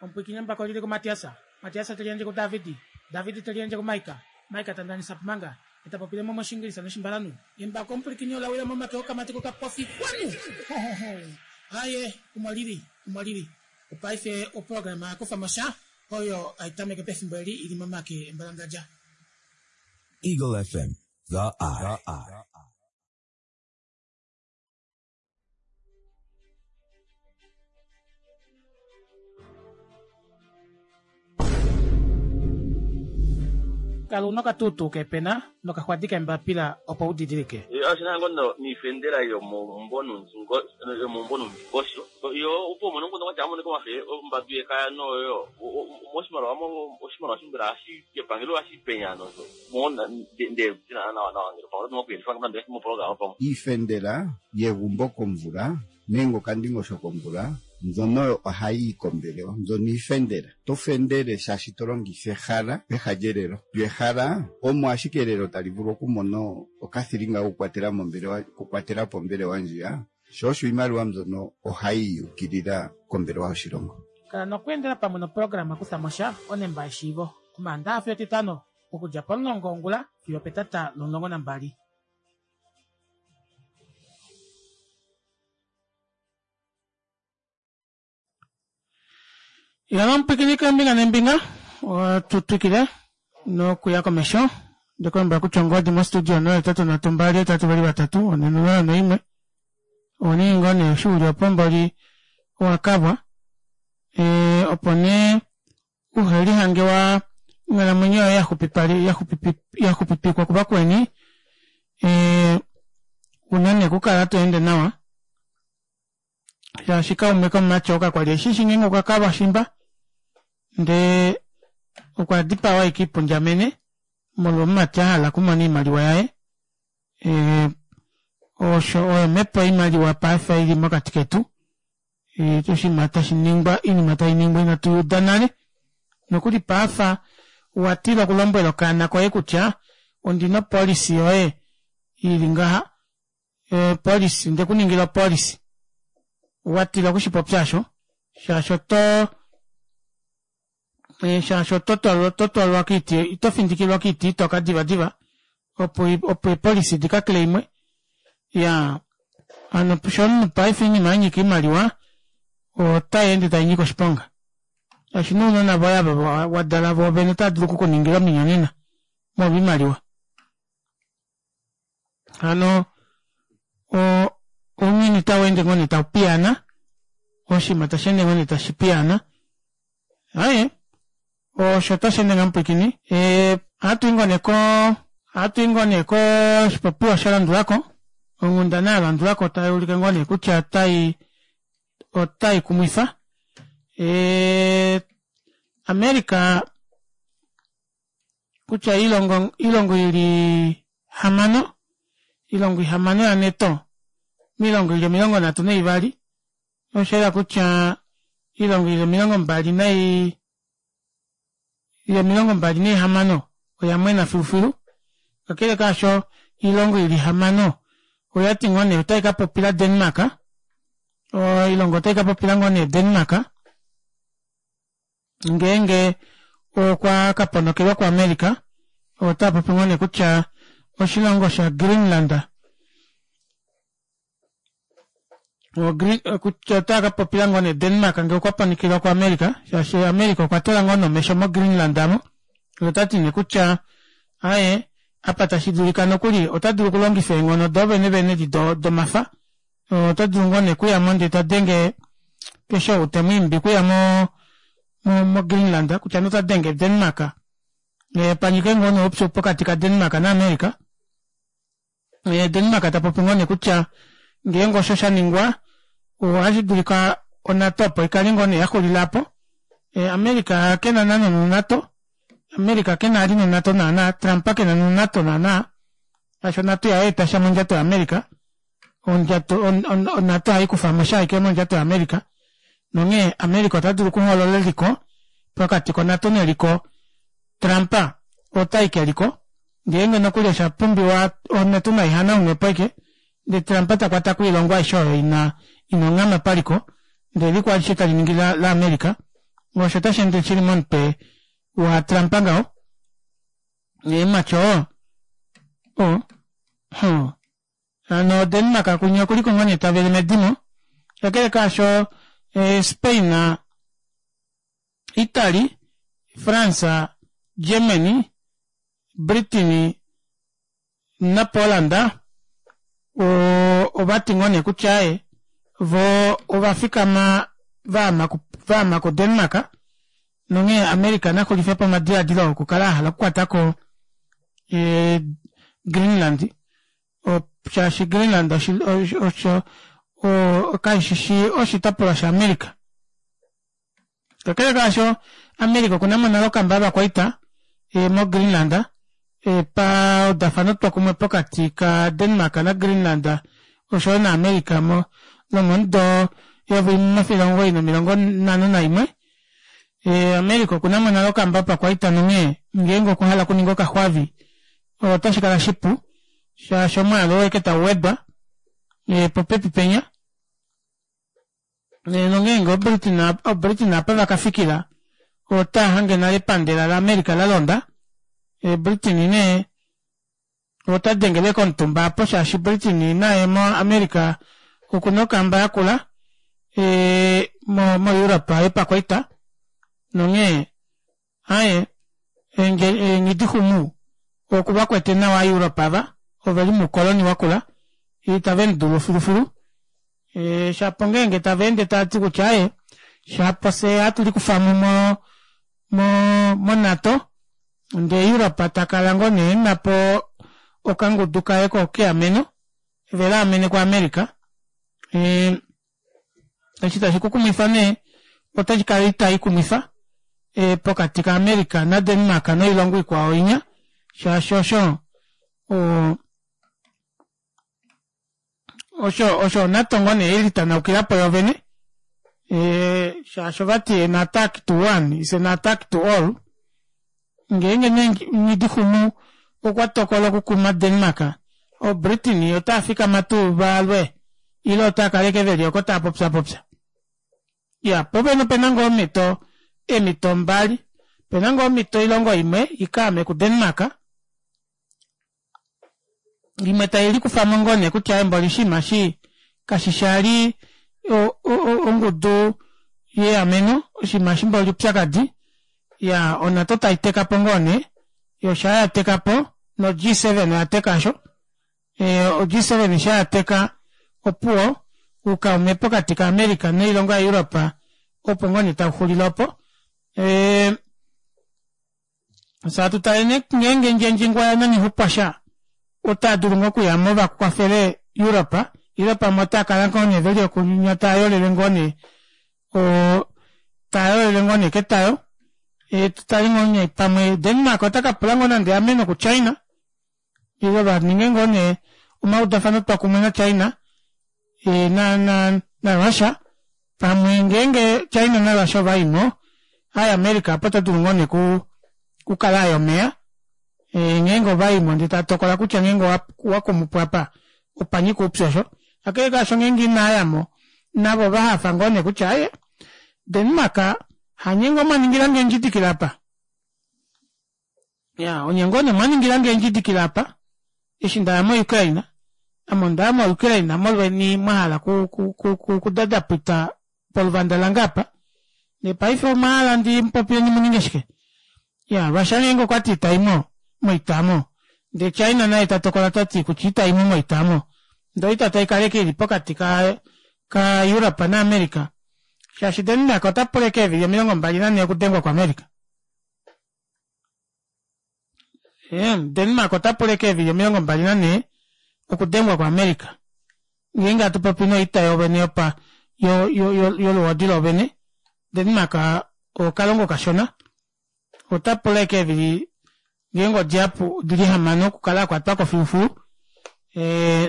Omupwiikini embako olili kuMatiasa, Matiasa te liyandje kuDavidi, Davidi te liyandje kuMaika, Maika ta ndanisa Pumanga, e ta popile mo mOshiingilisa nOshimbalanhu. Embako omupwilikini ola wila momake okamati kokapofi kwanu! Hohoho! Aaye, omo lili, omo lili. Opaife oprograma ya kufa mo sha oyo hai tameke pefimbo eli i li momake embalangadja. Eagle FM, the eye. Kala una okatuutuu keepena nokaxwadi keembapila opo u didilike. Oshi na ngoo noifendela yomomumbo nomundingosho yo opo umone omukundu kwatya amonike wafe ombadu yekaya noyo moshimaliwa oshimaliwa shimbela hashi kepangelo hashi penya nozo mona nde tina nawa nawa ngelo pamwe mokuyelifa nande mopologama pamwe Iifendela yegumbo komvula nenge okandingosho komvula mbyono oyo ohayi yi kombelewa mbyono iifendela. To fendele shaashi to longitha ehala peha lyelelo. Lyo ehala omo ashike elelo tali vulu okumona okathilinga kokukwatela mombelewa okukwatela po ombelewa ndjiya, sho osho iimaliwa mbyono ohayi yi ukilila kombelewa yoshilongo. Kala nokweendela pamwe noprograma Kutha mo sha onemba yeshiivo Omaandaxa fiyo Etitano okudja pomulongo wongula fiyo opetata lomulongo nambali. Yala omupwikini keembinga neembinga tu twikile nokuya komesho ndikulombwela kutya ongodi mostudio 083 2 8 2 3 4 0 1 oningi ngoo nee eshi uli opo mboli owakabwa e, opo nee uhe lihange wa onghalamwenyo yoye yaxupipikwa kuvakweni e, una nee okukala to ende nawa shaashi kaume komumati oo kakwali eshi shi ngeenge okwa kalwa shimba ndee okwa dipawa ashike ipundjamene molwa omumati a hala okumona oimaliwa yaye. Osho oyo omhepo yoimaliwa paife ili mokati ketu. Oshinima tashi ningwa, oinima tai ningwa inatu i uda nale. Nokuli paafa owa tila okulombwela okaana koye kutya ondi na opolisi yoye ili ngaha, opolisi, nde ku ningila opolisi. Wa tila oku shi popya osho, shaashi oto shaashi oto twalwa oto twalwa koiti ito findikilwa koiti itoka divadiva opo opo eepolisi di ka claimwe ya hano sho omunhu paife oinima ya nyika oimaliwa otai ende tai nyika oshiponga shaashi nounona voye ava wa dala voovene otava dulu oku ku ningila ominyonena molwa oimaliwa hano ounyuni tau ende ngoo nee tau piyaana oshinima tashi ende ngoo nee tashi piyaana aye osho tashi ende ngamupwikini ohatu i ngoo nee ko ohatu i ngoo nee koshipopiwa sha landulako onghundana ya landulako tai ulike ngoo nee kutya otai otai kumwifa America kutya iilongo iilongo ili hamano iilongo ihamano yaNato miilongo ili 32 osha yela kutya iilongo ili 20 nai ili 26 oya mwena filufilu kakele kaasho iilongo ili hamano oya ti ngoo nee otai ka popila Denmark oilongo otai ka popila ngoo nee Denmark ngeenge okwa ka ponokelwa kuAmerica ota popi ngoo nee kutya oshilongo shaGreenland kutya ota ka popila ngoo nee Denmark ngee okwa ponokelwa kuAmerica shaashi America okwa tula ngoo nomesho moGreenland amo ota ti nee kutya aye apa tashi dulika nokuli ota dulu okulongifa eenghono do vene vene di domafa ota dulu ngoo nee kuyamo ndee ta denge keshe ou te mu imbi kuya mo moGreenland kutya nota denge Denmark panyike ngoo nee oupyu pokati kaDenmark naAmerica Denmark ta popi ngoo nee kutya ngeenge osho sha ningwa ohashi dulika oNato opo ikale ngoo nee yaxulila po America kena nana noNato America kena ali noNato naana Trump kena noNato naana shaashi oNato ihayeeta sha mondjato yaAmerica ondjato oNato ohayi kufa mo sha ashike mondjato yaAmerica nonghee America ota dulu okuhoolola eliko pokati koNato neliko Trump otai keliko ngeenge nokuli osha pumbiwa oNato nai hanaunwe po ashike ndee Trump ta kwata ko oilongo aishe oyo ina ina onghama paliko ndee eliko alishe tali ningi laAmerica osho tashi ende shili momutwe waTrump ngaho eemhatyo o o Hano Denmark kunye okuli ko ngoo nee ta vele medimo. Kakele kaasho eh, Spain, Italy, France, Germany, Britain naPoland ova ti ngoo nee kutya e vo ova fikama vaama kuDenmark nonghee America na xulife po omadiladilo okukala a hala okukwata ko eh, Greenland shaashi Greenland osho kashi shi oshitopolwa shaAmerica. Kakele kaasho, America okuna mo nale okamba yovakwaita e, moGreenland e, paudafanotwokumwe pokati kaDenmark naGreenland oshoyo naAmerica mo lomomudo 1951. E, America okuna mo nale okamba yopakwaita nonghee ngeenge okwa hala okuninga okaxwavi otashi kala shipu shaashi omwaalu oo eke tau wedwa e, popepi penya nongeenge oBritain apa va ka fikila otaa hange nale epandela laAmerica la londa e, Britain nee ota dengele komutumba apo shaashi Britain naye moAmerica okuna okamba yakula e, mo, moEurope yopakwaita nonghee Aye, eenghidixumu oku va kwete nawa Aaeuropa ava, ove li muukoloni wakula, itave mu dulu filufilu. E, shapo ngeenge tava ende tava ti kutya aye, shapo fye hatu likufa mo mo, mo, moNato, ndee Europa ta kala ngoo nee ena po okangudu kaye kokeameno, ve laamene kuAmerica. E, Eshi tashi ku kumwifa nee otashi kala itai kumwifa e, pokati kaAmerica naDenmark noilongo ikwao inya shaashi osho o, Osho osho oNATO ngoo nee ilitanaukila po yovene e, shaashi ovati an attack to one is an attack to all. Ngeenge nee Nghidixumu okwa tokola okukuma Denmark, oBritain otaa fikama tuu va lwe ile otaa kala ashike veli oko taa popyapopya? Ya, po pene opena ngoo omhito, eemhito mbali. Opena ngoo omhito oilongo imwe i ka ame kuDenmark, imwe tai likufa mo ngoo nee kutya emboli oshinima shi kashi shali ongudu yeameno, oshinima eshi mboli oupyakadi. Ya, oNATO tai teka po ngoo nee, yo shaa ya teka po, no G7 oya teka sho. O G7 sha ya teka opuwo, oukaume pokati ka America noilongo ya Europe opo ngoo nee tau xulile opo. Fye atu tale nee ngeenge Ndjendjingwa naNghihupwasha otaa dulu ngoo okuya mo va kwafele Europe ile pamwe otaa kala ngoo nee veli okunya taa yolele ngoo nee o taa yolele ngoo nee ketayo. E, tu tale ngoo nee pamwe Denmark ota ka pula ngoo nande eameno kuChina ile va ninge ngoo nee omaudafano twa kumwe naChina e, na, na, na Russia pamwe ngeenge China naRussia ova i mo hai America apo ota dulu ngoo nee ku kukala aye omeya e, ngeenge ova i mo ndee ta tokola kutya ngeenge owa kumu po apa opa nyika oupyu osho kakele kaasho ngeenge inaa ya mo navo ova hafa ngoo nee kutya aye Denmark hanye ngoo mwa ningila nge endjidikila apa Ya, onye ngoo nee mwa ningila nge endjidikila apa, eshi nda ya moUkraine. Ame onda ya moUkraine molweni mwa hala ku, ku, ku, ku, kudadapwita poluvanda lange apa. Ndee paife omwa hala ndi mu popile ndi mu ninge shike? Ya, Russia ngeenge okwa ti ita i mo moita mo, ndee China naye ta tokola ta ti kutya ita i mo moita mo, ndee oita tai kala ashike i li pokati ka, ka Europe naAmerica, shaashi Denmark ota pula ashike eevili 24 okudengwa kuAmerica. Denmark ota pula eevili 24 okudengwa kuAmerica ngeenge hatu popi noita yovene yopa yoluhodi lovene Denmark okalongo kashona ota pula eevili ngeenge odihapu odili hamano okukala akwatwa ko filufilu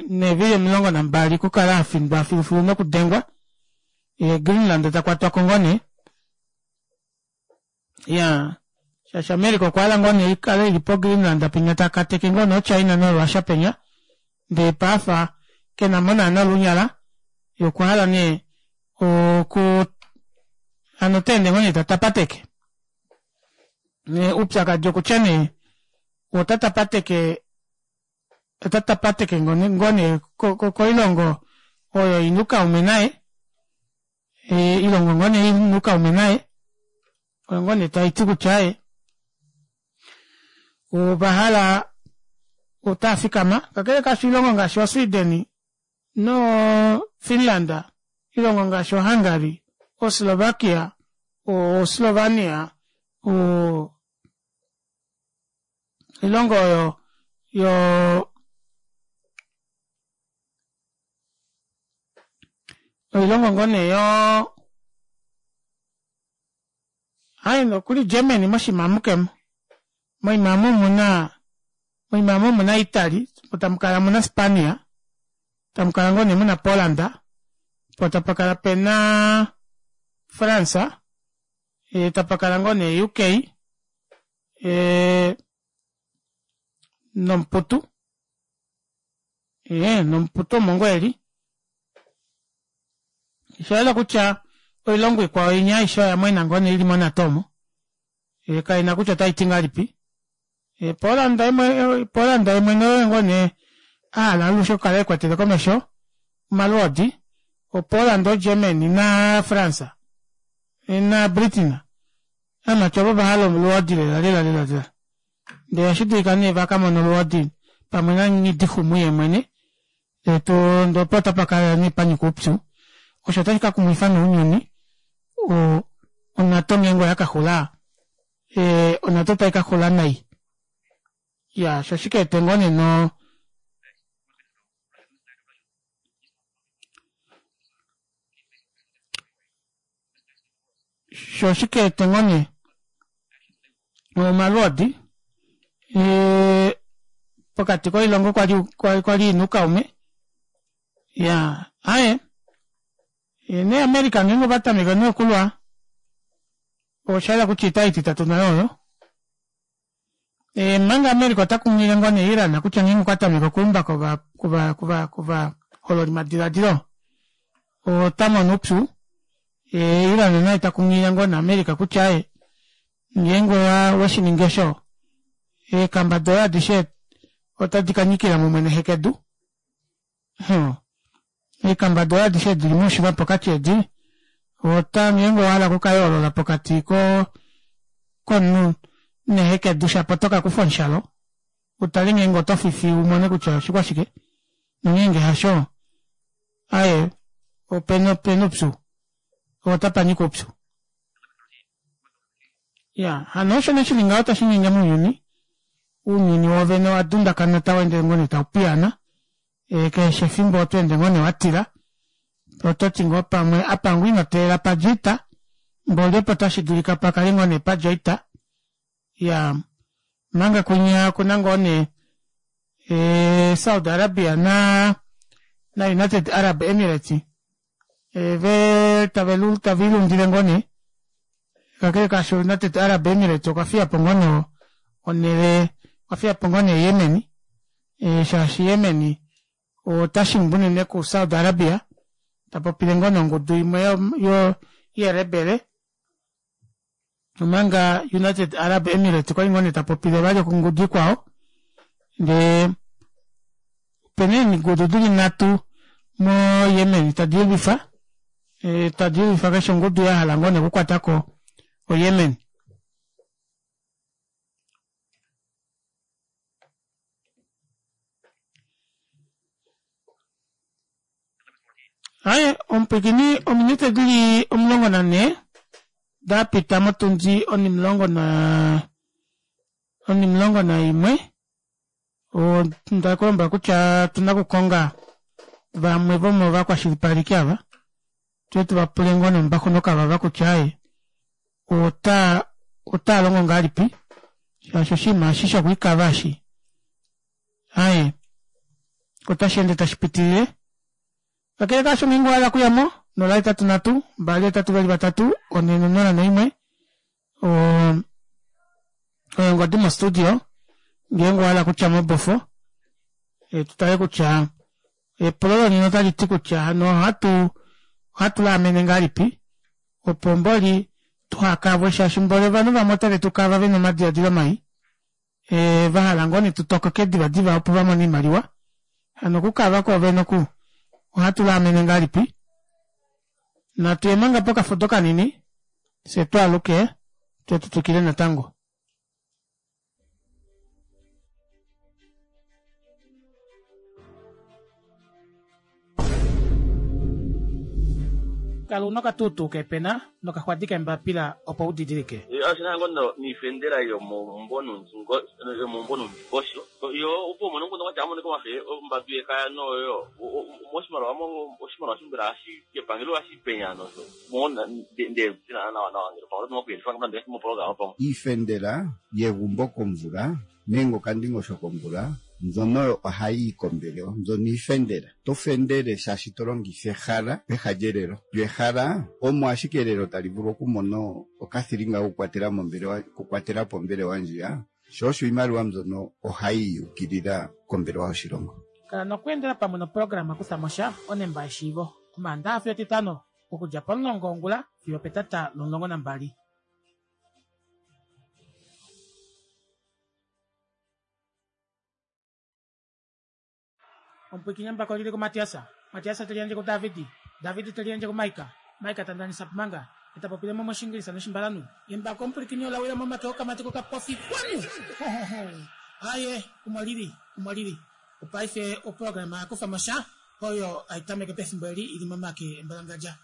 neevili 12 okukala afindwa filufilu nokudengwa Greenland ta kwatwa ko ngoo nee ya shaashi America okwa hala ngoo nee ikale ili po Greenland penya ta kateke ngoo nee China noRussia penya ndee paafa kena mo naana olunyala ye okwa hala nee oku hano ota ende ngoo nee ta tapateke nee uupyakadi okutya nee ota tapateke ota tapateke ngoo nee koilongo oyo ina oukaume naye Ilongo ngoo nee ina oukaume naye oyo ngoo nee tai ti kutya ye ova hala otaa fikama kakele kaasho oilongo ngaashi oSweden noFinland ilongo ngaashi oHungary oSlovakia oSlovenia o oilongo oyo yo oilongo ngoo nee yo hai nokuli Germany moshimamu kemo moimamu omuna moimamu omuna Italy po tamu kala muna Spania tamu kala ngoo nee muna Poland po tapa kala pena France e, tapa kala ngoo nee UK e, nomuputu ee nomuputu omo ngoo eli osha yela kutya oilongo ikwao inya aishe oya mwena ngoo nee ili monato omo e, kaina kutya otai ti ngahelipi e, Poland Poland yemwene oye ngoo nee a hala alushe okukala e kwetele komesho omalwoodi oPoland oGermany naFrance na Britain amati ovo va hala olwoodi lela lela lela lela Ndele ohashi dulika nee va ka mona olwoodi pamwe naNghidixumu ye mwene, ndele to ndee opo otapa kala nee pa nyika oupyu. Osho otashi ka kumwifa nee ounyuni, o oNATO ngeenge oya ka xula, ee oNATO otai ka xula nai. Iya, sho oshike ete ngoo nee no sho oshike ete ngoo nee omalwoodi pokati koilongo kwali kwali ina oukaume. Ya aye nee America ngeenge ova tameka nee okulwa osha yela kutya oita ititatu nayo oyo. E, manga America ota kunghilile ngoo nee Iran kutya ngeenge okwa tameke okuumba kova kova kova kovahololi madiladilo ota mono oupyu. E, Iran naye ta kunghilile ngoo nee America kutya aye ngeenge owa weshi ningi osho eekamba doye adishe otadi ka nyikila mumwe nehekedu. Huh. Eekamba doye adishe dili moushima pokati edi ota ngeenge owa hala okukayoolola pokati ko komunhu nehekedu shapo oto ka kufa omushalo utale ngeenge oto fifi u mone kutya oshikwashike nongeenge hasho aye opena opena oupyu otapa nyika oupyu. Ya hano osho nee shili ngaho tashi nyenge mounyuni ounyuni wovene owa dundakana tau ende ngoo nee tau piyaana e, keshe efimbo oto ende ngoo nee wa tila oto ti ngoo pamwe apa ngoo ino teelela pa dja oita mboli opo tashi dulika pa kale ngoo nee pa dja oita ya manga kwinya okuna ngoo nee e, Saudi Arabia na na United Arab Emirates e, ve tave lu tave ilundile ngoo nee kakele kaasho United Arab Emirates okwa fiya po ngoo nee onhele okwa fiya po ngoo nee Yemen e, shaashi Yemen ota shimbu unene ku Saudi Arabia ta popile ngoo nee ongudu imwe yo, yo yerebele omanga United Arab Emirates okwali ngoo nee ta popile vali ongudu ikwao ndee opena eengudu dili nhatu mo Yemen tadi ilwifa e, tadi ilwifa keshe ongudu ya hala ngoo nee okukwatako o Yemen. Aye, omupwikini ominute dili 14 da pita motundi onimulongo na onimulongo naimwe onda kulombwela kutya otuna okukonga vamwe vomovakwashilipaleki ava twe tu va pule ngoo nombaxu nokavava kutya aye ota otaa longo ngahelipi shaashi oshinima eshi shokwiikava eshi aye otashi ende tashi pitilile kakele kaasho ngeenge owa hala okuya mo 083 2 8 4 001 oyo ngodi mostudio ngeenge owa hala okutya mobofo e, tu tale kutya epulo lonena otali ti kutya hano ohatu ohatu laamene ngahelipi opo mboli tuhakavwe shaashi mboli ovanhu vamwe otave tu kava vena omadiladilo mai e, va hala ngoo ne tu tokoke divadiva opo va mone oimaliwa hano okukava kwoovene oku ohatu laamene ngahelipi natu ye manga pokafudo kanini fye twaaluke twe tu twikile natango. Kala una okatuutuu keepena nokaxwadi keembapila opo u didilike. Oshi na ngoo niifendela yomomumvo nomundingosho yo opo umone omukundu kwatya amonike omafe ombadu yekaya noyo moshimaliwa oshimaliwa shimbela hashi kepangelo hashi penya nosho Iifendela yegumbo komvula nenge okandingosho komvula mbyono oyo ohayi yi kombelewa. Mbyono iifendela. Oto fendele shaashi to longitha ehala peha lyelelo. Lyo ehala omo ashike elelo tali vulu okumona okathilinga kokukwatela mombelewa, okukwatela po ombelewa ndjiya. Sho osho iimaliwa mbyono ohayi yi ukilila kombelewa yoshilongo. Kala nokweendela pamwe noprograma Kutha mo sha, Onemba yeshiivo, Omaandaha fiyo Etitano, okudja pomulongo wongula fiyo opetata lomulongo nambali. Omupwiikini embako oli li kuMatias, Matias te li yandje kuDavid, David te li yandje kuMaika, Maika ta ndanisa po manga, ye ta popile mo mOshiingilisa nOshimbalanhu. Embako omupwilikini ola wila momake okamati kokapofi. Kwanu! Ho, ho, ho! Aye, omo li li, omo li li. Opaife oprograma ya kufa mo sha oyo hai tameke pefimbo eli i li momake embalangadja.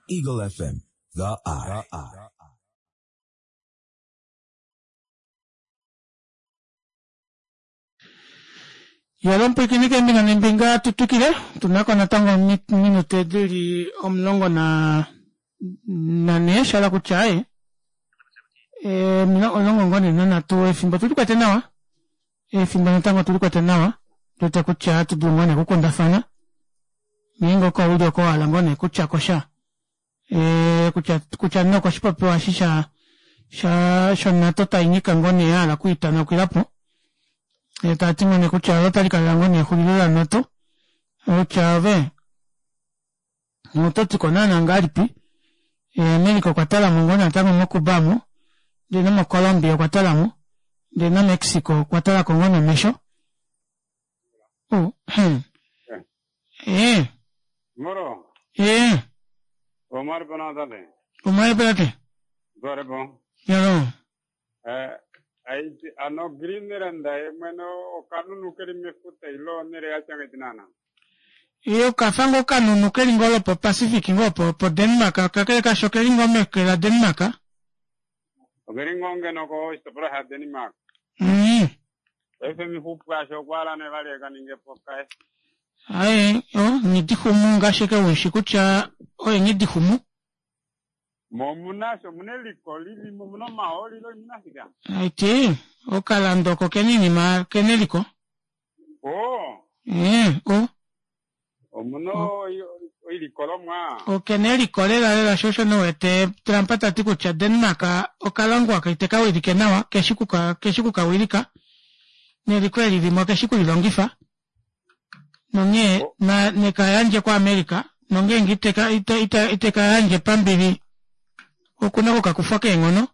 Eagle FM, the eye. Yalo mpwikinike embinga nembinga tu twikile tu na ko natango ominute di li omulongo na nanhee sha hala kutya aye omulongo ngoo nee nanhatu efimbo tu li kwete nawa efimbo natango tu li kwete nawa tu wete kutya ohatu dulu ngoo nee okukundafana. Ngeenge oko uli oko wa hala ngoo nee kutya ko sha e, kutya kutya nee okoshipopiwa eshi sha sha shoNATO tai nyika ngoo nee ya hala okwiitanaukila po e, tava ti ngoo nee kutya olo tali kalela ngoo nee exulilo laNATO kutya ove oto ti ko naana ngahelipi e, America okwa tala mo ngoo natango moCuba mo ndee nomoColombia okwa tala mo ndee naMexico okwa tala ko ngoo nomesho Oh, hmm. Eh. Moro. Eh. Omar bana tate. Omar tate. Gore bo. Yalo. Eh, ai ano Greenland ye mwene okanunu keli mefuta ilo onele ya changa tinana. Iyo okafa ngoo okanunu keli ngoo lopo Pacific ngoo po po Denmark kakele kasho okeli ngoo meke la Denmark. Okeli ngoo ngeno ko oshitopolwa sha Denmark. Paife mixupu asho okwa hala nee vali eka ninge po kaye. Aye, o, Nghidixumu ngaashi eke ushi kutya oye Nghidixumu. Mo omuna sho, omuna eliko lili mo, omuna omahooli ile oimuna shike? Aiti, okalando oko kena iinima, kena eliko. Oo. Ee, o. Omuna oilikolomwa. Okena eliko lela lela sho osho nee wete Trump ta ti kutya Denmark okalongo aka ite ka wilike nawa, keshi kuka, keshi kuka wilika. Neliko eli limwe okeshi kulilongifa. Nonghee na neka yandje kuAmerica, nongeenge iteka ite ite iteka yandje pambili okuna okukakufwa keenghono.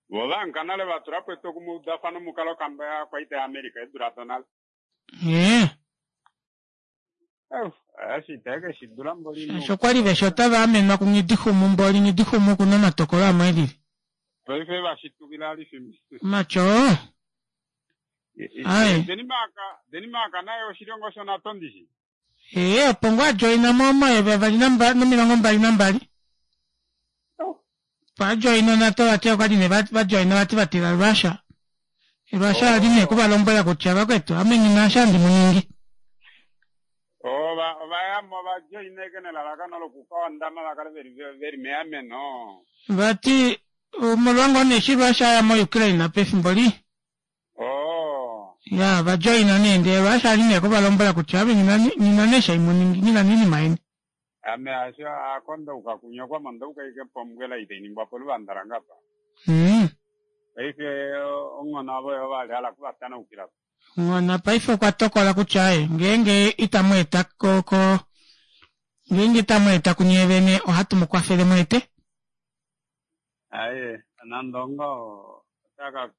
Vo ovanka nale va tula po etwokumweudafano mukale okamba yaakwaita yaAmerica eedula donale. Nghee. Eshi itae ke shi dula mboli. Shaashi okwa li veshi otava amenwa kuNghidixumu mboli Nghidixumu oku na omatokolo amwe e lili. Paife va shitukila alifimbi. Omatyo. Aye. Denmark, Denmark naye oshilongo shoNATO ndishi? Ee, opo ngoo a joina mo omayovi avali nomilongo 22. Opo a joina oNATO vati okwa li nee va joina vati va tila Russia. Russia ali nee kuvalombwela kutya vakwetu ame nghi na eshi handi mu ningi. Ova ova ya mo va joina eke nelalakano loku ka ondama va kale veli veli meameno. Vati omolwa ngoo nee eshi Russia a ya mo Ukraine pefimbo li. Oh. Ya, va joina nee ndee Russia ali nee kuvalombwela kutya ame nghi na nee eshi handi mu ningi, nghi na oinima yeni. Ame hasho ako ndauka kunyokwa mo ndauka ike pombwela itai ningwa poluvanda lange apa. Paife onghona avo yo vali hala kuvatanaukila po. Onghona paife okwa tokola kutya aye ngeenge itamu eta ko ko ngeenge itamu eta kunye vene ohatu mu kwafele mu ete. Aye nande ongaho otaka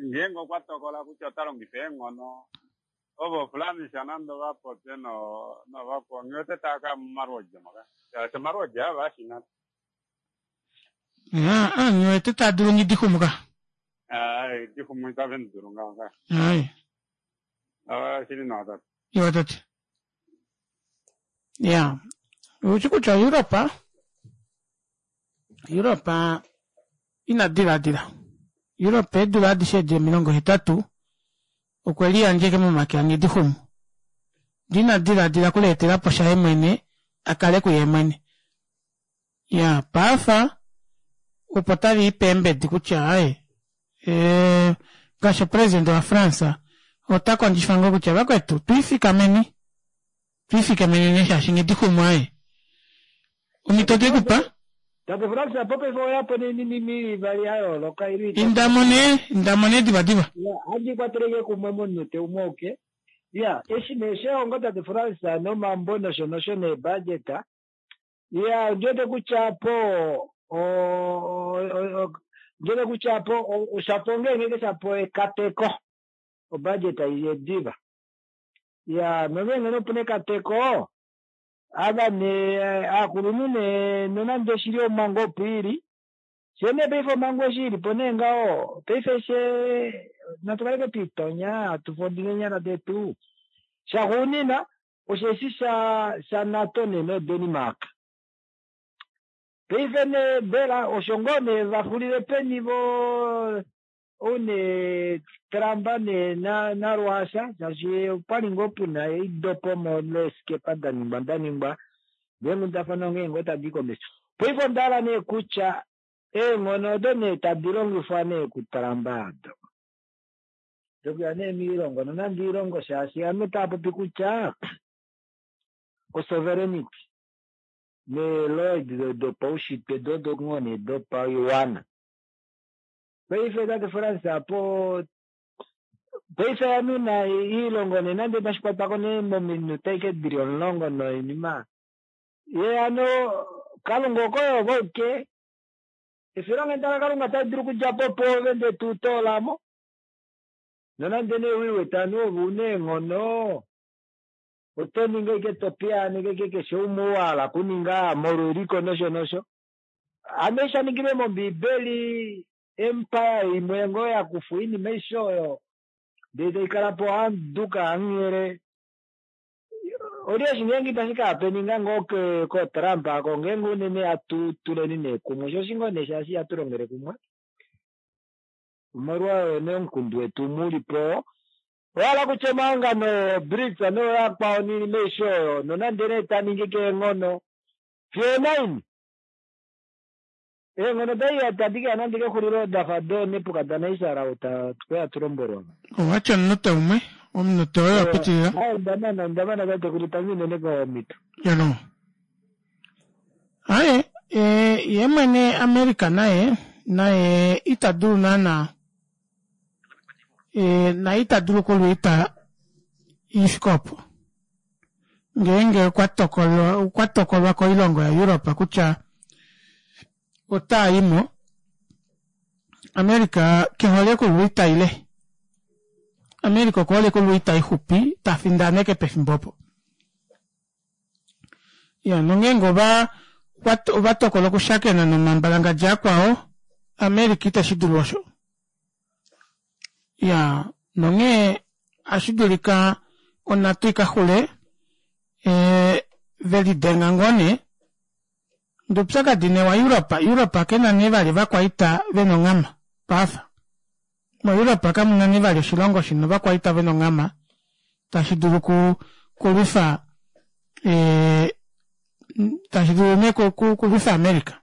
ngeenge okwa tokola kutya ota longifa eenghono Ovo Flamisha nande ova popye no novakwao ngiwete tava kaya momalwoodi moka shaashi omalwoodi ava ashina. Aa ngiwete taa dulu ngidixumu ka. Aa dixumu itave mu dulu ngaho ka. Aye. Aa shili nawa tate. Iwa tate. Ya. Ushi kutya Europa Europa ina diladila. Europa eedula adishe edi 80 okwe liyandjeke momake aNghidixumu. Ndee ina diladila okuleetela po shaye mwene a kale kuye mwene. Ya, paafa opo tave i peembedi kutya aye e, ngaashi opresidente waFrance ota kondjifa ngoo kutya vakwetu twiifikameni twiifikamenene shaashi Nghidixumu aye omhito te ku pa. Tate Frans apo paife oya po noinima ili ivali ya yooloka ili itatu. Inda mo nee, inda mo nee divadiva. Ya, handi kwateleke kumwe momunute umwe oke. Ya, eshi nee shehongo Tate Frans nomambo nosho nosho neebudget. Ya, ondi wete kutya apo o, o, o, ondi wete kutya apo oshapo ngeenge shapo ekateko. Obudget iye diva. Ya, nongeenge nee opu na ekateko, Ava nee aakulunhu nee nonande shili omhango opo ili, fyee nee paife omhango eshi ili po nee ngaho paife fyee natu kaleke twiitonya hatu fodile eenyala detu. Shaxuunina osheshi sha sha NATO nee no Denmark. Paife nee mbela osho ngoo nee va xulile peni vo Ou nee Trump nee na na Russia shaashi opwali ngoo puna eidopomo leeskepa da ningwa da ningwa deenghundafana onghee ngoo tadi komesho. Paife onda hala nee kutya eenghono odo nee tadi longifwa nee kuTrump ado dokuya nee miilongo nonande iilongo shaashi ame taa popi kutya. Osoverenity neelo edi dopaushitwe do odo ngoo nee dopaiwana. Paife tate Frans apo paife yanuna iilongo nee nande tashi kwatwako nee mominute ashike dili omulongo noinima ye hano Kalunga okoye ove auke efilonghenda laKalunga tali dulu okudja po pwoove ndee to utoola mo nonande nee u iwete aniwa ove una eenghono oto ningi ashike to piyaaneke ashike keshe umwe ou a hala okuninga molwa eliko nosho nosho. Hano eshi sha ningilwe mOmbiibeli, empire imwe ngoo ya kufwa oinima aishe oyo ndele tai kala po hamuduka hamunghele. Oli eshi ngeenge itashi ka hapeninga ngoo kooTrump ako ngeenge unene hatu tuleni nee kumwe sho oshi ngoo nee shaashi ihatu longele kumwe omolwa oyo nee omukundu wetu umwe u li po. Owa hala kutya omahangano ooBRICS nooyakwao noinima aishe oyo nonande nee ta ningi keenghono fiyo onaini? Eenghono daye itadi ke ya nande kexulilo da fa dooNebukadnesar ou twe ya tu lombwelwa. Owa tya omunute umwe, omunute woye wa pitilila. Aye, onda mana, onda mana tatekulu, tangi unene komhito. Yano. Aye, e, ye mwene America naye, naye ita dulu naana, e, naye ita dulu okulwiita ifike opo. Ngeenge okwa tokolwa, okwa tokolwa koilongo yaEurope kutya otaa i mo, America ke hole okulwiita ile. America oku hole okulwiita ixupi ta findaneke pefimbo opo. Ya, nongeenge ova ova tokola okushakena nomambalangadja akwao, America iteshi dulu osho. Ya, nonghee ohashi dulika onhatu i ka xule e, ve lidenga ngoo nee. Ndee oupyakadi nee waEurope, Europe ke na nee vali ovakwaita ve na onghama paafa. MoEurope kamu na nee vali oshilongo shi na ovakwaita ve na onghama tashi dulu ku kulwifa e, tashi dulu nee kulwifa America.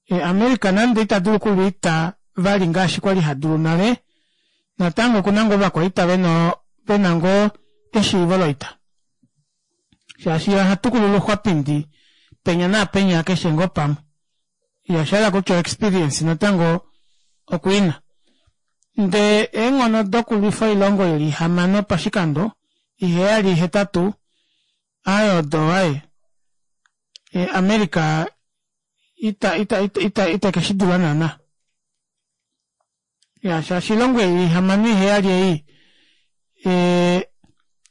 E, America nande ita dulu okulwiita vali ngaashi kwa li ha dulu nale, natango oku na ngoo ovakwaita vena vena ngoo eshiivo loita. Shaashi ye oha tukulula oxwapindi penya naapenya keshe ngoo pamwe. Ye osha hala kutya oexperience natango oku i na. Ndee eenghono dokulwifa oilongo ili ihamano pashikando, iheyali, ihetatu, aye odo aye. E, America ita ita ita ita ita ke shi dula naana. Ya shaashi oilongo ei ihamano iheyali ei e,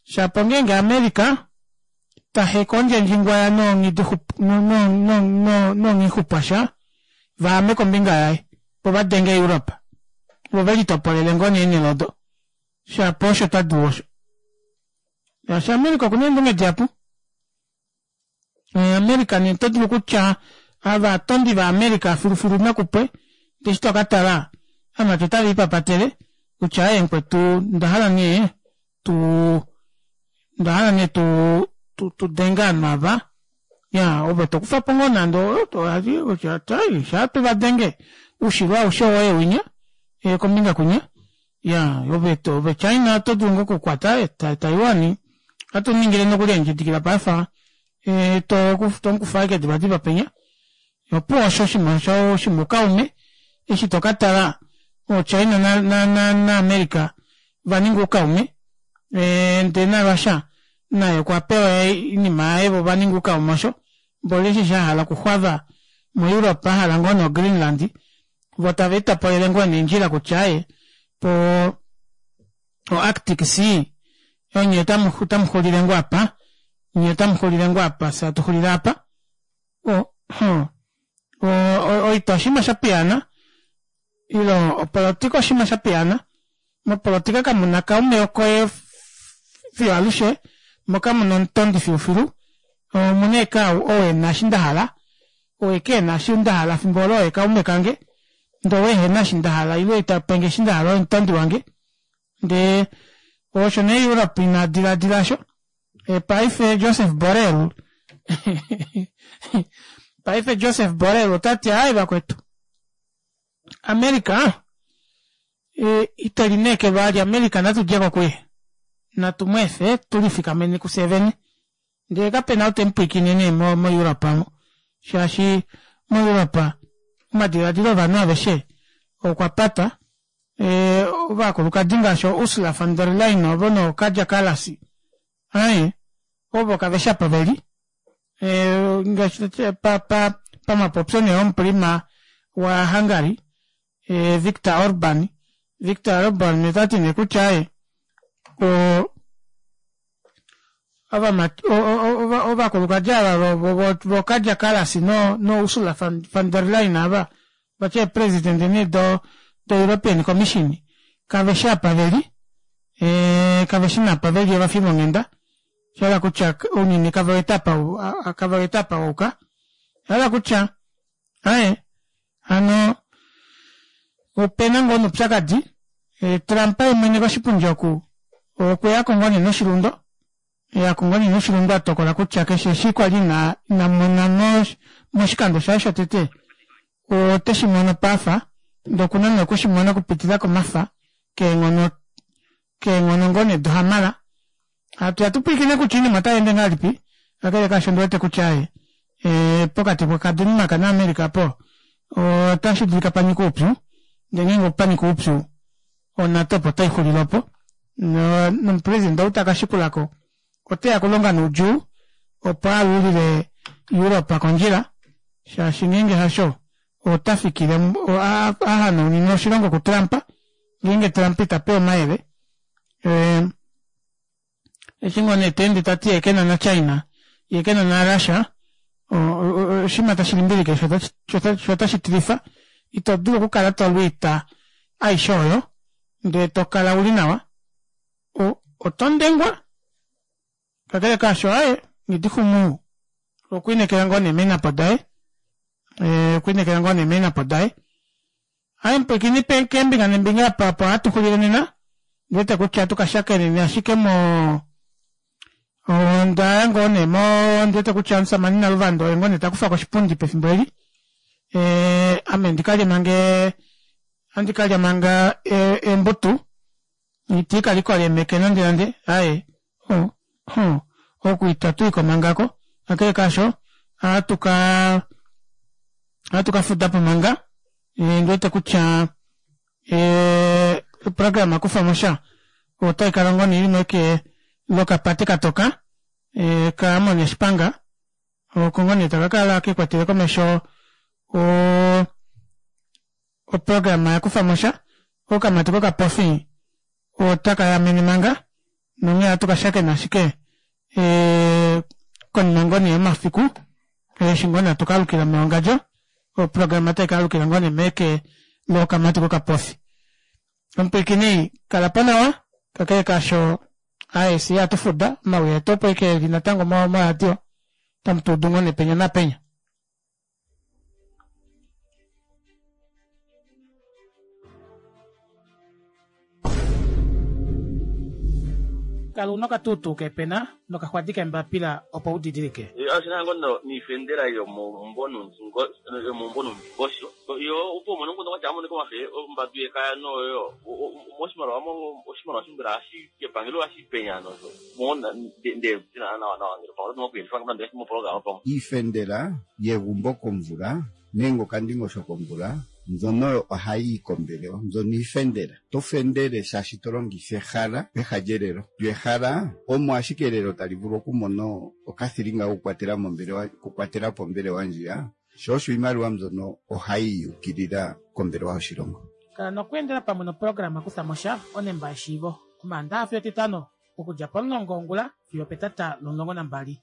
shapo ngeenge America ta heka ondjendjingwaya noonghixupwasha vaame kombinga yaye vo va denge Europe vo ve litopolele ngoo nee eenhele odo shapo osho ta dulu osho. Shaashi America okuna eendunge dihapu. America nee oto dulu kutya ava atondi vaAmerica filufilu nakupwe ndee eshi toka tala amati otave lipapatele kutya aaye mukwetu onda hala nee tu onda hala nee tu tu tu denge ovanhu ava ya ove to kufa po ngoo nande kutya shaa tu va denge oushilo aushe owoye winya kombinga kwinya Ya, ove ove China oto dulu ngoo okukwata Taiwan. Ohatu ningile nokuli eendjidikila paife e, to tomukufa ashike divadiva penya. Opuwo osho oshinima osho shimwe oukaume eshi to ka tala ooChina na, na, na, na America va ninga oukaume e, ndee naRussia naye okwa pewa oinima yaye vo va ninga oukaume osho mboli eshi sha hala okuxwava moEurope a hala ngoo noGreenland vo tave litopolele ngoo neendjila kutya aye po o Arctic Sea onye otamu otamu xulile ngoo apa nye otamu xulile ngoo apa fye atu xulile apa o o oita oshinima sha piyaana ile opolotika oshinima sha piyaana mopolotika kamu na kaume koye fiyo alushe mo kamu na omutondi filufilu omuna eke ou e na eshi nda hala ou eke e na eshi nda hala fimbo olo oye kaume kange ndee ou ehe na eshi nda hala ile ita penge eshi nda hala oye omutondi wange ndee osho nee Europe ina diladila osho e, paife Joseph Borrell paife Joseph Borrell ota ti ai vakwetu America e, ite lineekelwa vali America natu dje ko kuye natu mu efe tu lifikamene kufye vene. Ndele kape na ou te mu pwilikine nee moEurope omo, shaashi moEurope omadiladilo ovanhu aveshe okwa pata. Ovakulukadi ngaashi ooUrsula von der Leyen ovo nooKaja Kallas, aye, ovo kave shi apa ve li. Ngaashi pamapopyo nee omuprima waHungary, Viktor Orban, Viktor Orban ota ti nee kutya aye, ovakulukadi ava voKaja Kallas noUrsula von der Leyen ava vati eepresidente nee doEuropean Commission kave shi apa ve li, kave shi napa ve li ovafi vonghenda, sha hala kutya ounyuni kave wete apa kave wete apa wa yuka, sha hala kutya aye hano opena ngoo noupyakadi Trump ye mwene koshipundi oku okwe ya ko ngoo nee noshilundo ya ko ngoo nee noshilundo a tokola kutya keshe eshi kwa li ina ina mona moshikando shaye shotete ote shi mono pafa ndee okuna nee okushi mona okupitila komafa keenghono keenghono ngoo nee dohamala. Hatu ya tu pwilikine kutya oinima otai ende ngahelipi, kakele kaasho ondi wete kutya aye pokati kaDenmark naAmerica po otashi dulika pa nyike oupyu, ndee ngeenge opa nyika oupyu oNATO opo tai xulile opo, nomupresidente ou ta ka shikula ko ote ya okulonga noudjuu opo a alulile Europe kondjila, shaashi ngeenge hasho ota fikile a hanaunine oshilongo kuTrump ngeenge Trump ita pe omayele. Eshi ngoo nee ta ende ta ti ye ke na naChina, ye ke na naRussia, oshinima tashi limbilike sho otashi tilifa. Ito dulu okukala to lu oita aishe oyo ndee to kala u li nawa. Oto ndengwa. Kakele kaasho, aaye, Nghidixumu okwa inekela ngoo nee meenhapo daye, okwa inekela ngoo nee meenhapo daye. Aye mupwilikini keembinga nembinga apa opo hatu xulile nena. Ndi wete kutya ohatu ka shakeneni ashike mo onda ya ngoo nee mo ndi wete kutya omusamane Naluvanda oye ngoo nee ta kufa ko oshipundi pefimbo eli. Ame ndi ka lye manga ohandi ka lya manga eembutu. Iti ka likola eemeke nande nande. Aye o o oku itatu i ko manga ko. Kakele kaasho ohatu ka ohatu ka fuda po manga. Ndi wete kutya oprograma kufa mo sha otai kala ngoo nee ili meke lokapate katoka kaAmon Shipanga oko ngoo nee taka kala kekwatele komesho oprograma ya kufa mo sha. Okamati kokapofi otaka yamene manga nonghee ohatu ka shakena ashike konima ngoo nee yomafiku eshi ngoo nee hatu ka alukila meongadjo oprograma otai ka alukila ngoo nee meke lokamati kokapofi. Omupwilikini kala po nawa kakele kaasho aye fye ihatu fuda omawi etu opo ashike eli natango moradio otamu tu udu ngoo nee penya napenya. Kala una okatuutuu keepena nokaxwadi keembapila opo u didilike. Oshi na ngoo niifendela yomomumvo nomundingosho yo opo u mone omukundu gwatya amonike omafe ombadu yekaya noyo moshimaliwa oshimaliwa mbela ohashi kepangelo ohashi penya nosho Iifendela yegumbo komvula nenge okandingosho komvula mbyono oyo ohayi yi kombelewa. Mbyono iifendela. Oto fendele shaashi to longitha ehala peha lyelelo. Lyo ehala omo ashike elelo tali vulu okumona okathilinga kokukwatela mombelewa, okukwatela po ombelewa ndjiya. Sho osho iimaliwa mbyono ohayi yi ukilila kombelewa yoshilongo. Kala nokweendela pamwe noprograma Kutha mo sha, Onemba yEshiivo, Omaandaha fiyo Etitano, okudja pomulongo wongula fiyo opetata lomulongo nambali.